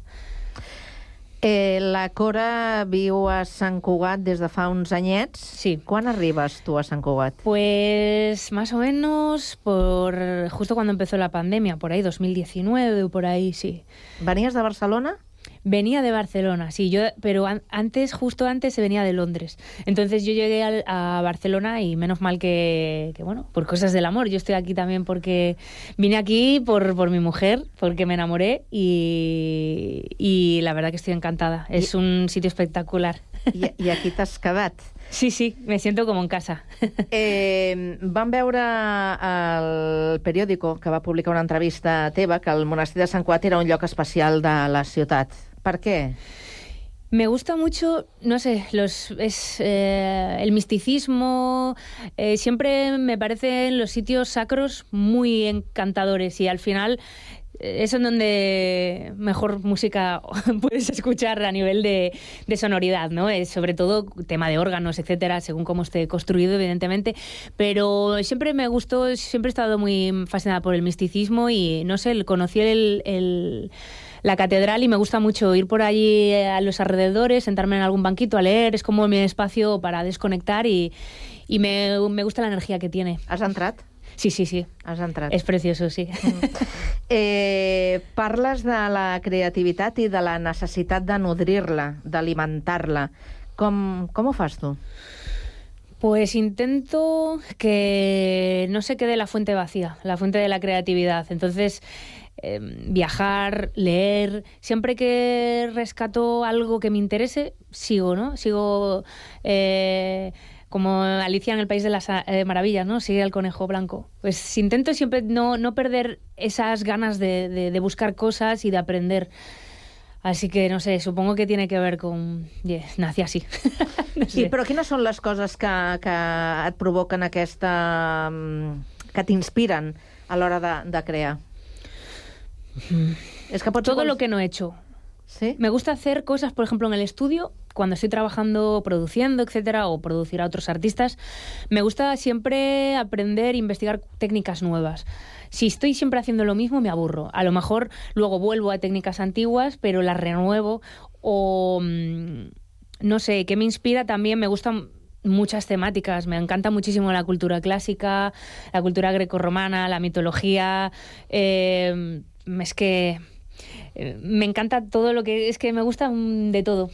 Eh, la Cora viu a Sant Cugat des de fa uns anyets. Sí. Quan arribes tu a Sant Cugat? Pues más o menos por justo cuando empezó la pandemia, por ahí, dos mil diecinueve o por ahí, sí. ¿Venías de Barcelona? Venía de Barcelona, sí, yo, pero an- antes, justo antes, se venía de Londres. Entonces yo llegué al, a Barcelona y menos mal que, que, bueno, por cosas del amor. Yo estoy aquí también porque vine aquí por, por mi mujer, porque me enamoré y, y la verdad que estoy encantada. Es un sitio espectacular. I, i aquí t'has quedat. Sí, sí, me siento como en casa. Eh, vam veure al periòdico que va publicar una entrevista teva que el monestir de Sant Cugat era un lloc especial de la ciutat. ¿Por qué? Me gusta mucho, no sé, los es eh, el misticismo. Eh, siempre me parecen los sitios sacros muy encantadores y al final eh, es en donde mejor música puedes escuchar a nivel de, de sonoridad, ¿no? Es sobre todo tema de órganos, etcétera, según cómo esté construido, evidentemente. Pero siempre me gustó, siempre he estado muy fascinada por el misticismo y, no sé, conocí el... el la catedral y me gusta mucho ir por allí a los alrededores, sentarme en algún banquito a leer, es como mi espacio para desconectar y, y me, me gusta la energía que tiene. Has entrat? Sí, sí, sí. Has entrat. És precioso, sí. Mm. Eh, parles de la creativitat i de la necessitat de nodrir-la, d'alimentar-la. Com, com ho fas tu? Pues intento que no se quede la fuente vacía, la fuente de la creatividad. Entonces, eh, viajar, leer, siempre que rescato algo que me interese, sigo, ¿no? Sigo eh, como Alicia en el País de las eh, Maravillas, ¿no? Sigue el conejo blanco. Pues intento siempre no, no perder esas ganas de, de, de buscar cosas y de aprender. Así que, no sé, supongo que tiene que ver con... Yeah, nací así. No sé. I, però quines són les coses que, que et provoquen aquesta... que t'inspiren a l'hora de, de crear? Mm. Es que Todo lo que no he hecho. ¿Sí? Me gusta hacer cosas, por ejemplo, en el estudio, cuando estoy trabajando, produciendo, etcétera, o producir a otros artistas. Me gusta siempre aprender e investigar técnicas nuevas. Si estoy siempre haciendo lo mismo, me aburro. A lo mejor luego vuelvo a técnicas antiguas, pero las renuevo. O, no sé, ¿qué me inspira? También me gustan muchas temáticas. Me encanta muchísimo la cultura clásica, la cultura grecorromana, la mitología. Eh, es que... Me encanta todo lo que... Es que me gusta de todo.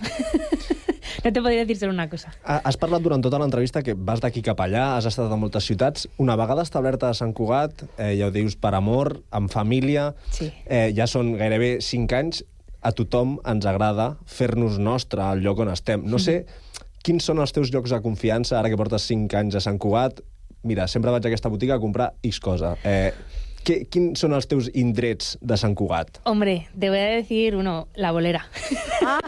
No te podria dir solo una cosa. Has parlat durant tota l'entrevista que vas d'aquí cap allà, has estat a moltes ciutats. Una vegada establerta a Sant Cugat, eh, ja ho dius, per amor, amb família, sí. eh, ja són gairebé cinc anys, a tothom ens agrada fer-nos nostre al lloc on estem. No sé quins són els teus llocs de confiança, ara que portes cinc anys a Sant Cugat. Mira, sempre vaig a aquesta botiga a comprar X cosa. Eh, ¿Qué, ¿Quins son los teus indrets de Sant Cugat? Hombre, te voy a decir uno, La Bolera. Ah.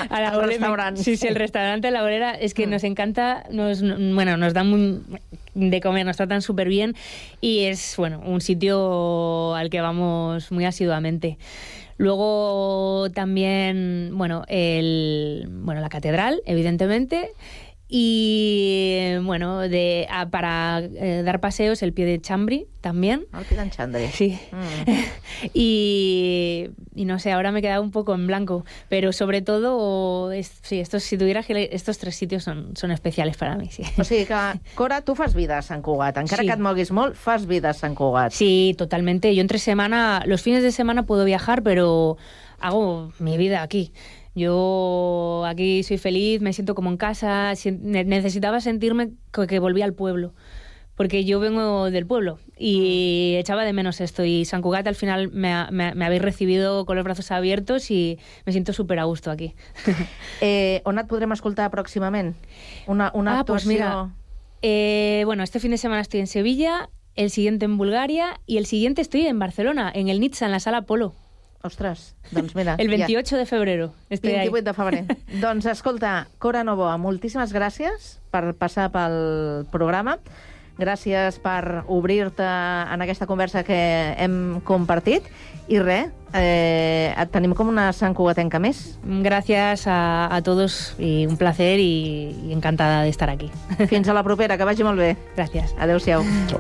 A la el bolera, restaurante. Sí, sí, el restaurante La Bolera es que mm. nos encanta, nos, bueno, nos dan muy, de comer, nos tratan súper bien y es, bueno, un sitio al que vamos muy asiduamente. Luego también, bueno, el, bueno, la catedral, evidentemente. Y bueno, de, a, para eh, dar paseos, el Pie de Chambri también. El Pie de Chambri. Sí. Mm. y, y no sé, ahora me he quedado un poco en blanco. Pero sobre todo, es, sí, estos, si tuviera que estos tres sitios son, son especiales para mí. Sí. O sigui que, Cora, tu fas vida a Sant Cugat. Encara sí. que et moguis molt, fas vida a Sant Cugat. Sí, totalmente. Yo entre semana, los fines de semana puedo viajar, pero hago mi vida aquí. Yo aquí soy feliz, me siento como en casa, necesitaba sentirme que volvía al pueblo, porque yo vengo del pueblo y echaba de menos esto. Y Sant Cugat al final me, me, me habéis recibido con los brazos abiertos y me siento súper a gusto aquí. eh, on et podrem escoltar pròximament? Una, una ah, actuació... Pues mira, eh, bueno, este fin de semana estoy en Sevilla, el siguiente en Bulgaria y el siguiente estoy en Barcelona, en el Nitsa, en la Sala Polo. Ostres, doncs mira... El veintiocho ja. de febrero. vint-i-vuit de febrer. Doncs escolta, Cora Novoa, moltíssimes gràcies per passar pel programa. Gràcies per obrir-te en aquesta conversa que hem compartit. I res, eh, et tenim com una Sant Cugatenca més. Gràcies a, a todos y un placer y, y encantada de estar aquí. Fins a la propera, que vagi molt bé. Gràcies. Adéu-siau. Ciao.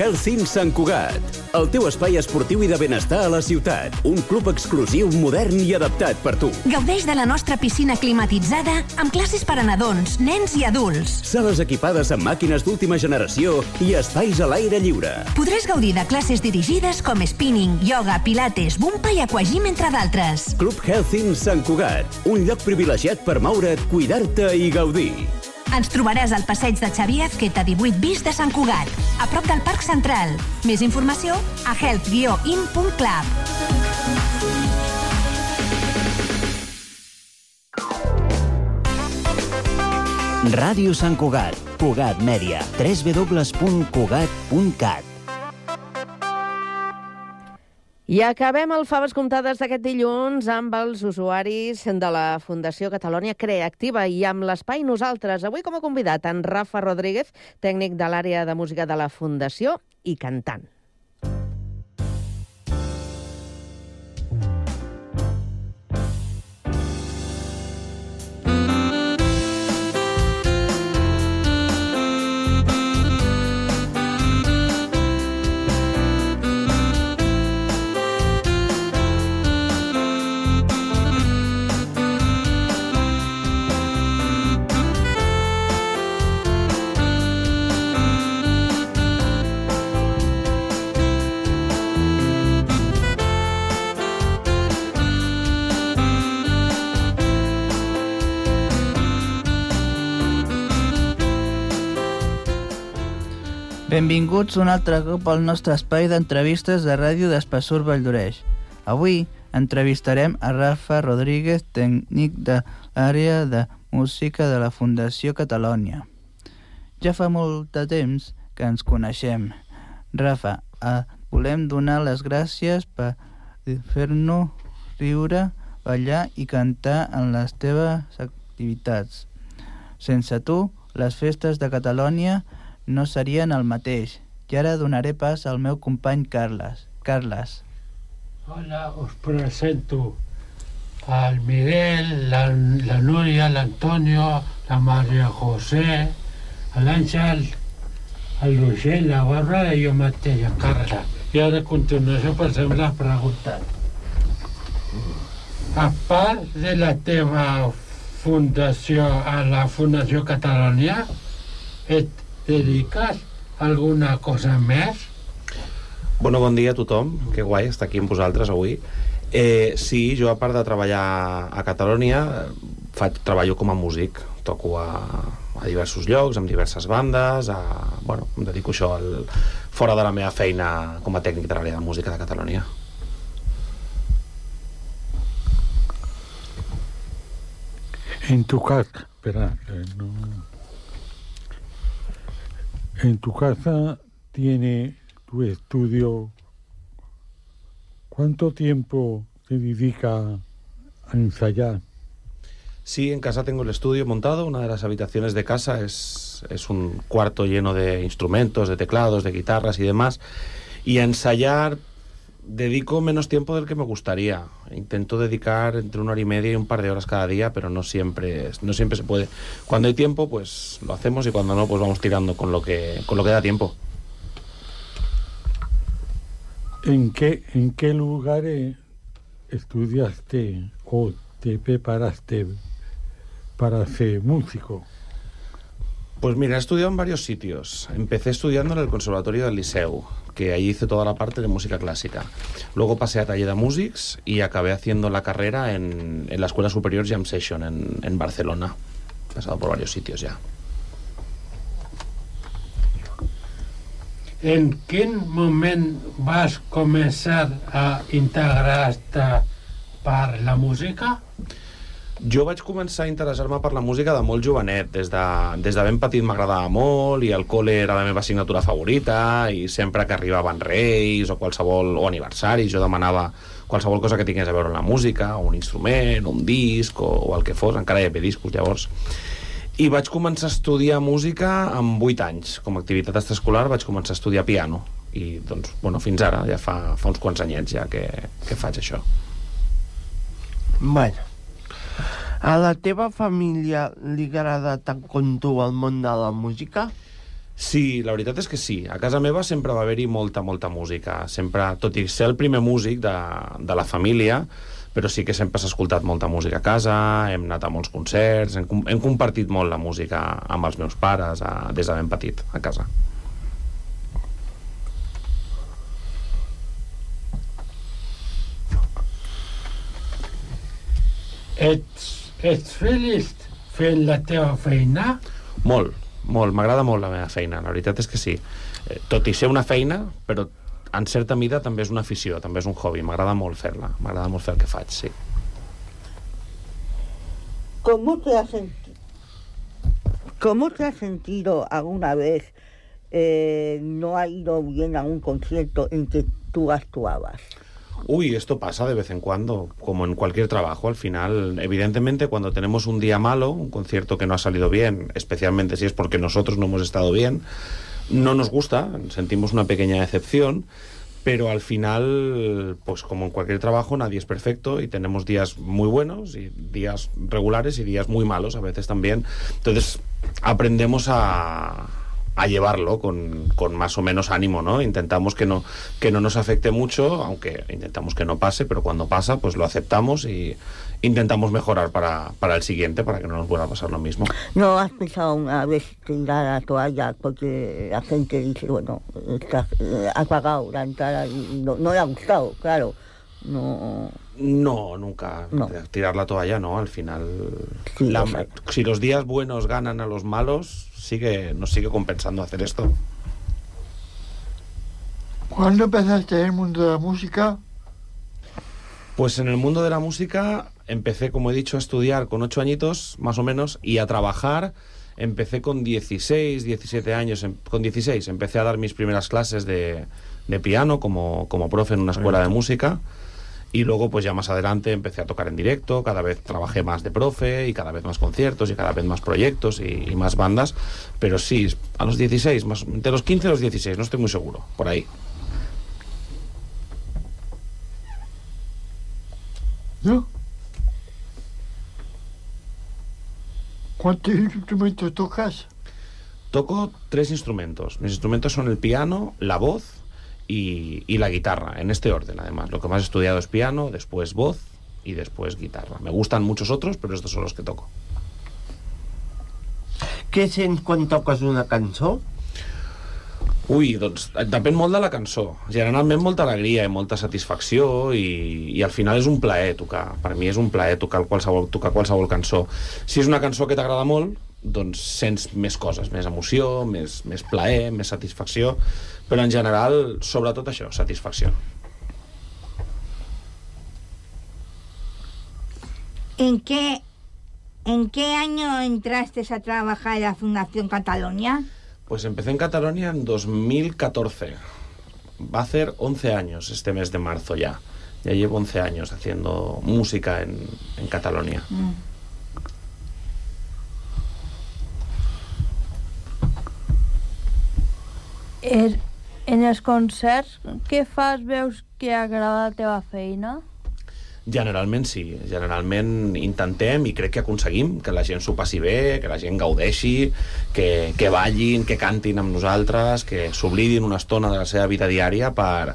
Health Health In Sant Cugat, el teu espai esportiu i de benestar a la ciutat. Un club exclusiu, modern i adaptat per tu. Gaudeix de la nostra piscina climatitzada amb classes per a nadons, nens i adults. Sales equipades amb màquines d'última generació i espais a l'aire lliure. Podràs gaudir de classes dirigides com spinning, yoga, pilates, bumpa i aquagym, entre d'altres. Club Health In Sant Cugat, un lloc privilegiat per moure't, cuidar-te i gaudir. Ens trobaràs al passeig de Xavier Azqueta divuit bis de Sant Cugat, a prop del Parc Central. Més informació a health guió in punt club. Ràdio Sant Cugat, Cugat Mèdia, w w w punt cugat punt cat. I acabem el Faves Comptades d'aquest dilluns amb els usuaris de la Fundació Catalonia Creativa i amb l'Espai Nosaltres. Avui com a convidat en Rafa Rodríguez, tècnic de l'àrea de música de la Fundació i cantant. Benvinguts un altre cop al nostre espai d'entrevistes de ràdio d'Espessur Valldoreix. Avui entrevistarem a Rafa Rodríguez, tècnic de l'àrea de música de la Fundació Catalonia. Ja fa molt de temps que ens coneixem. Rafa, eh, volem donar les gràcies per fer-nos riure, ballar i cantar en les teves activitats. Sense tu, les festes de Catalonia no serien el mateix. I ara donaré pas al meu company Carles. Carles. Hola, us presento al Miguel, la, la Núria, l'Antonio, la Maria José, l'Àngel, el Roger, la Bàrbara i jo mateix, en Carla. I ara a continuació passem les preguntes. A part de la teva fundació, a la Fundació Catalonia, et dediques a alguna cosa més? Bueno, bon dia a tothom, que guai estar aquí amb vosaltres avui. Eh, sí, jo a part de treballar a Catalonia, faig, treballo com a músic, toco a, a diversos llocs, amb diverses bandes, a, bueno, em dedico a això al, fora de la meva feina com a tècnic de l'àrea de música de Catalonia. En tu casa, espera, no... En tu casa tiene tu estudio. ¿Cuánto tiempo te dedica a ensayar? Sí, en casa tengo el estudio montado. Una de las habitaciones de casa es, es un cuarto lleno de instrumentos, de teclados, de guitarras y demás. Y a ensayar dedico menos tiempo del que me gustaría. Intento dedicar entre una hora y media y un par de horas cada día, pero no siempre, no siempre se puede. Cuando hay tiempo, pues lo hacemos, y cuando no, pues vamos tirando con lo que, con lo que da tiempo. ¿En qué, en qué lugares estudiaste o te preparaste para ser músico? Pues mira, he estudiado en varios sitios. Empecé estudiando en el Conservatorio del Liceu, que allí hice toda la parte de música clásica. Luego pasé a taller de músics y acabé haciendo la carrera en, en la Escuela Superior Jam Session en, en Barcelona. He pasado por varios sitios ya. En quin moment vas començar a integrar-te per la música? Jo vaig començar a interessar-me per la música de molt jovenet. Des de, des de ben petit m'agradava molt, i el col·le era la meva assignatura favorita, i sempre que arribaven reis o qualsevol o aniversaris jo demanava qualsevol cosa que tingués a veure amb la música, o un instrument, o un disc, o, o el que fos. Encara hi havia discos llavors. I vaig començar a estudiar música amb vuit anys. Com a activitat extraescolar vaig començar a estudiar piano, i doncs, bueno, fins ara, ja fa, fa uns quants anyets ja que, que faig això. Bueno, a la teva família li agrada tant com tu el món de la música? Sí, la veritat és que sí. A casa meva sempre va haver-hi molta, molta música. Sempre, tot i ser el primer músic de, de la família, però sí que sempre s'ha escoltat molta música a casa, hem anat a molts concerts, hem, hem compartit molt la música amb els meus pares a, des de ben petit, a casa. Ets, ets feliç fent la teva feina? Molt, molt. M'agrada molt la meva feina, la veritat és que sí. Tot i ser una feina, però en certa mida també és una afició, també és un hobby. M'agrada molt fer-la, m'agrada molt fer el que faig, sí. ¿Cómo te has sentido? ¿Cómo te has sentido alguna vez eh, no ha ido bien a un concierto en que tú actuabas? Uy, esto pasa de vez en cuando, como en cualquier trabajo. Al final, evidentemente, cuando tenemos un día malo, un concierto que no ha salido bien, especialmente si es porque nosotros no hemos estado bien, no nos gusta, sentimos una pequeña decepción, pero al final, pues como en cualquier trabajo, nadie es perfecto y tenemos días muy buenos y días regulares y días muy malos a veces también. Entonces, aprendemos a, a llevarlo con, con más o menos ánimo, ¿no? Intentamos que no, que no nos afecte mucho, aunque intentamos que no pase, pero cuando pasa, pues lo aceptamos y intentamos mejorar para, para el siguiente, para que no nos vuelva a pasar lo mismo. ¿No has pensado una vez tirar la toalla? Porque la gente dice, bueno, está, ha pagado la entrada y no, no le ha gustado, claro. No, no nunca. No. Tirar la toalla, no, al final... Sí, la, si los días buenos ganan a los malos, sigue, nos sigue compensando hacer esto. ¿Cuándo empezaste en el mundo de la música? Pues en el mundo de la música empecé, como he dicho, a estudiar con ocho añitos, más o menos, y a trabajar. Empecé con dieciséis, diecisiete años. Con dieciséis empecé a dar mis primeras clases de, de piano como, como profe en una escuela de música. Y luego, pues ya más adelante, empecé a tocar en directo. Cada vez trabajé más de profe y cada vez más conciertos y cada vez más proyectos y, y más bandas. Pero sí, a los dieciséis, más, entre los quince y los dieciséis, no estoy muy seguro, por ahí. ¿No? ¿Cuántos instrumentos tocas? Toco tres instrumentos. Mis instrumentos son el piano, la voz y, y la guitarra, en este orden además. Lo que más he estudiado es piano, después voz y después guitarra. Me gustan muchos otros, pero estos son los que toco. Què sents quan toques una cançó? Ui, doncs depèn molt de la cançó. Generalment molta alegria i molta satisfacció i, i al final és un plaer tocar. Per mi és un plaer tocar qualsevol, tocar qualsevol cançó. Si és una cançó que t'agrada molt, doncs sents més coses, més emoció, més, més plaer, més satisfacció, però en general, sobretot això, satisfacció. ¿En qué, en qué año entraste a trabajar en la Fundación Catalonia? Pues empecé en Cataluña en dos mil catorce. Va a hacer once años este mes de marzo ya. Ya llevo once años haciendo música en, en Cataluña. Mm. Er, en els concerts que fas veus que agrada la teva feina? Generalment sí, generalment intentem i crec que aconseguim que la gent s'ho passi bé, que la gent gaudeixi, que, que ballin, que cantin amb nosaltres, que s'oblidin una estona de la seva vida diària per,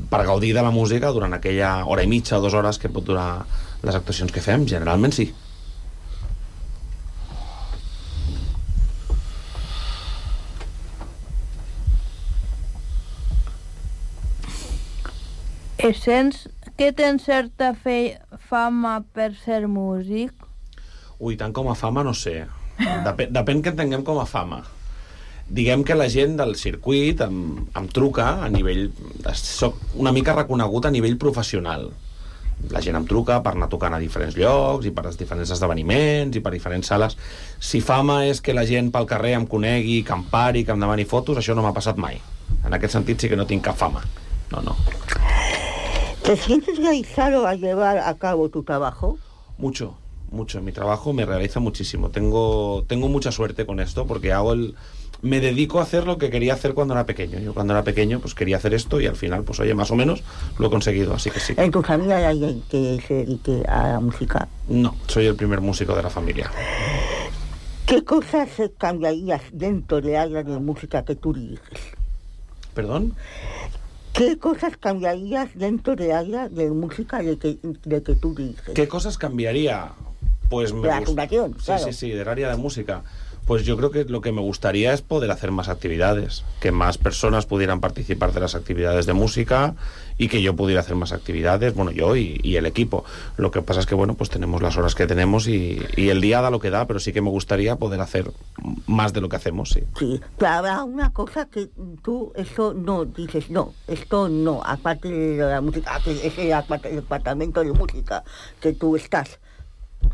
per gaudir de la música durant aquella hora i mitja o dues hores que pot durar les actuacions que fem. Generalment sí. Sents que tens certa fe, fama per ser músic? Ui, tant com a fama no sé. Depèn, depèn que entenguem com a fama. Diguem que la gent del circuit em, em truca a nivell... Soc una mica reconegut a nivell professional. La gent em truca per anar tocant a diferents llocs i per als diferents esdeveniments i per diferents sales. Si fama és que la gent pel carrer em conegui, que em pari, que em demani fotos, això no m'ha passat mai. En aquest sentit sí que no tinc cap fama. No, no. ¿Te sientes realizado al llevar a cabo tu trabajo? Mucho, mucho. Mi trabajo me realiza muchísimo. Tengo, tengo mucha suerte con esto porque hago el... me dedico a hacer lo que quería hacer cuando era pequeño. Yo cuando era pequeño pues quería hacer esto y al final, pues oye, más o menos lo he conseguido, así que sí. ¿En tu familia hay alguien que se dedique a la música? No, soy el primer músico de la familia. ¿Qué ¿Qué cosas cambiarías dentro del área de música que tú diriges? ¿Perdón? ¿Qué cosas cambiarías dentro del área de música de que, de que tú diriges? ¿Qué cosas cambiaría? Pues me De la gust- fundación, Sí, claro. sí, sí, del área de música. Pues yo creo que lo que me gustaría es poder hacer más actividades, que más personas pudieran participar de las actividades de música y que yo pudiera hacer más actividades, bueno, yo y, y el equipo. Lo que pasa es que, bueno, pues tenemos las horas que tenemos y, y el día da lo que da, pero sí que me gustaría poder hacer más de lo que hacemos, sí. Sí, pero habrá una cosa que tú, eso no, dices, no, esto no, aparte de la música, que es el apart- el departamento de música que tú estás.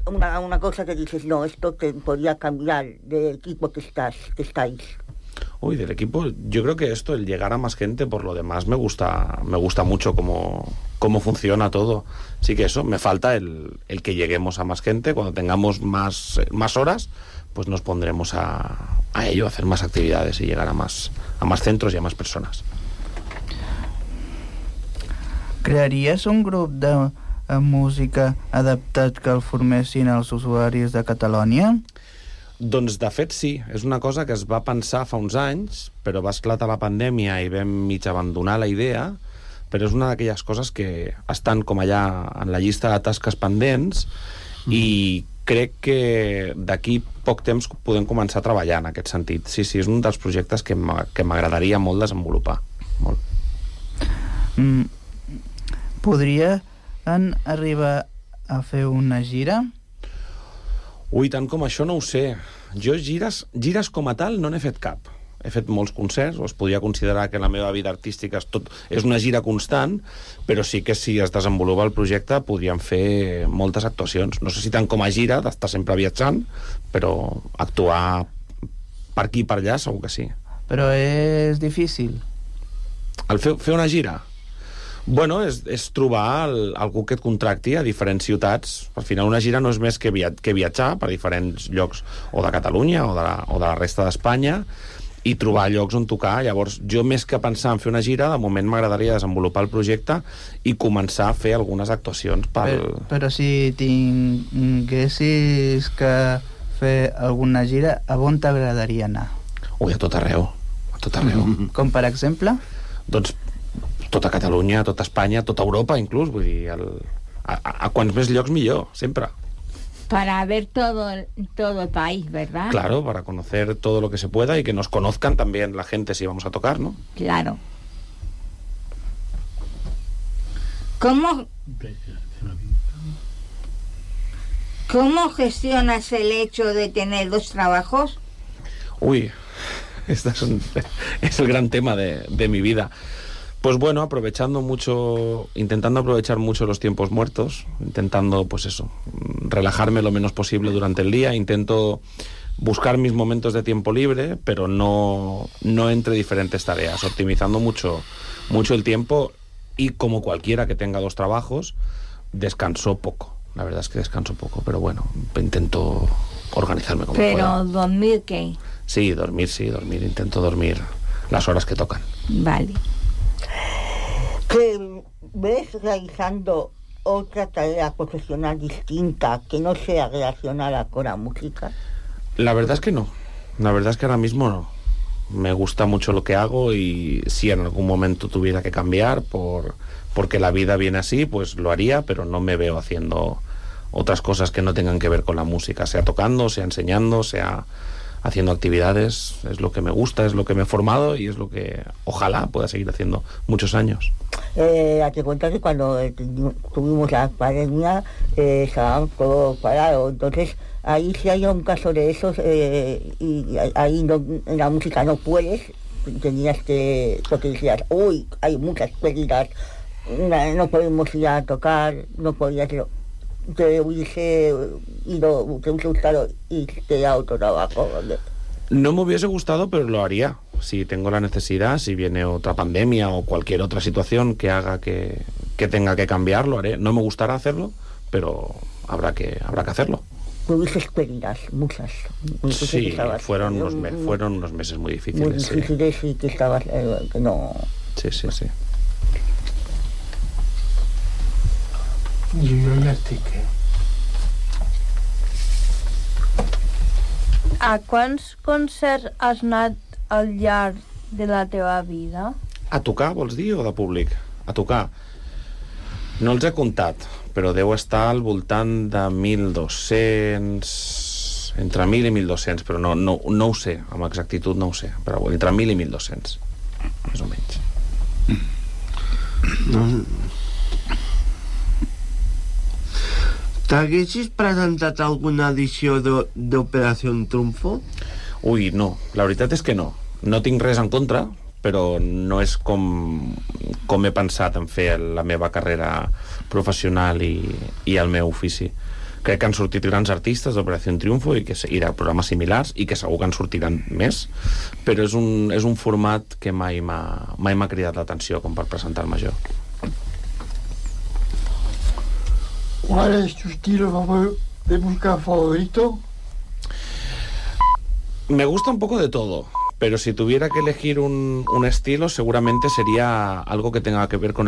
Una, una cosa que dices, no, esto te podría cambiar del equipo que estás, que estáis. Uy, del equipo, yo creo que esto, el llegar a más gente, por lo demás me gusta, me gusta mucho cómo, cómo funciona todo. Sí que eso, me falta el, el que lleguemos a más gente. Cuando tengamos más, más horas, pues nos pondremos a, a ello, a hacer más actividades y llegar a más, a más centros y a más personas. Crearies un grup de eh, música adaptat que el formessin els usuaris de Catalònia? Doncs, de fet, sí. És una cosa que es va pensar fa uns anys, però va esclatar la pandèmia i vam mig abandonar la idea, però és una d'aquelles coses que estan com allà en la llista de tasques pendents mm. i crec que d'aquí poc temps podem començar a treballar en aquest sentit. Sí, sí, és un dels projectes que m'a- que m'agradaria molt desenvolupar. Molt. Mm, podria en arribar a fer una gira? Ui, tant com això no ho sé. Jo gires, gires com a tal no n'he fet cap. He fet molts concerts, o es podria considerar que la meva vida artística és, tot, és una gira constant, però sí que si es desenvolupa el projecte podríem fer moltes actuacions. No sé si tant com a gira, d'estar sempre viatjant, però actuar per aquí i per allà segur que sí. Però és difícil. El fer, fer una gira? Bueno, és, és trobar el, algú que et contracti a diferents ciutats. Al final una gira no és més que, via, que viatjar per diferents llocs o de Catalunya o de la, o de la resta d'Espanya i trobar llocs on tocar. Llavors, jo més que pensar en fer una gira, de moment m'agradaria desenvolupar el projecte i començar a fer algunes actuacions pel... Però, però si tinguessis que fer alguna gira, a on t'agradaria anar? Ui, a tot arreu. A tot arreu. Com per exemple? Doncs tota Catalunya, tota Espanya, tota Europa inclús, vull dir, el, a, a, a quants més llocs millor, sempre. Para ver todo el, todo el país, ¿verdad? Claro, para conocer todo lo que se pueda y que nos conozcan también la gente si vamos a tocar, ¿no? Claro. ¿Cómo, ¿Cómo gestionas el hecho de tener dos trabajos? Uy, este es, un, es el gran tema de, de mi vida. Pues bueno, aprovechando mucho, intentando aprovechar mucho los tiempos muertos, intentando, pues eso, relajarme lo menos posible durante el día, intento buscar mis momentos de tiempo libre, pero no, no entre diferentes tareas, optimizando mucho, mucho el tiempo y como cualquiera que tenga dos trabajos, descanso poco. La verdad es que descanso poco, pero bueno, intento organizarme como Pero pueda. dormir, ¿qué? Sí, dormir, sí, dormir, intento dormir las horas que tocan. Vale. ¿Que ves realizando otra tarea profesional distinta que no sea relacionada con la música? La verdad es que no. La verdad es que ahora mismo no. Me gusta mucho lo que hago y si en algún momento tuviera que cambiar por, porque la vida viene así, pues lo haría, pero no me veo haciendo otras cosas que no tengan que ver con la música, sea tocando, sea enseñando, sea haciendo actividades. Es lo que me gusta, es lo que me he formado y es lo que ojalá pueda seguir haciendo muchos años. Eh, te cuenta que cuando eh, tuvimos la pandemia eh, estaba todo parado, entonces ahí si hay un caso de esos eh, y ahí no, en la música no puedes, tenías que, porque decías, uy, hay muchas pérdidas, no, no podemos ir a tocar, no podías, te hubiese ido, te hubiese gustado irte a otro trabajo. No me hubiese gustado, pero lo haría. Si tengo la necesidad, si viene otra pandemia o cualquier otra situación que haga que, que tenga que cambiar, lo haré. No me gustará hacerlo, pero habrá que, habrá que hacerlo. Tuviste pérdidas, muchas. Sí, fueron unos, me, fueron unos meses muy difíciles. Muy difíciles sí. Y que estabas, eh, que no... Sí, sí, sí. Jo ja estic, eh? A quants concerts has anat al llarg de la teva vida? A tocar, vols dir, o de públic? A tocar. No els he comptat, però deu estar al voltant de mil dos-cents... Entre mil i mil dos-cents, però no, no, no ho sé, amb exactitud no ho sé, però entre mil i mil dos-cents, més o menys. No. T'haguessis presentat alguna edició d'Operació Triunfo? Ui, no, la veritat és que no. No tinc res en contra, però no és com, com he pensat en fer la meva carrera professional i, i el meu ofici. Crec que han sortit grans artistes d'Operació Triunfo i, que, i de programes similars i que segur que en sortiran més, però és un, és un format que mai m'ha mai m'ha cridat l'atenció com per presentar-me jo. ¿Cuál es tu estilo de música favorito? Me gusta un poco de todo, pero si tuviera que elegir un, un estilo, seguramente sería algo que tenga que ver con el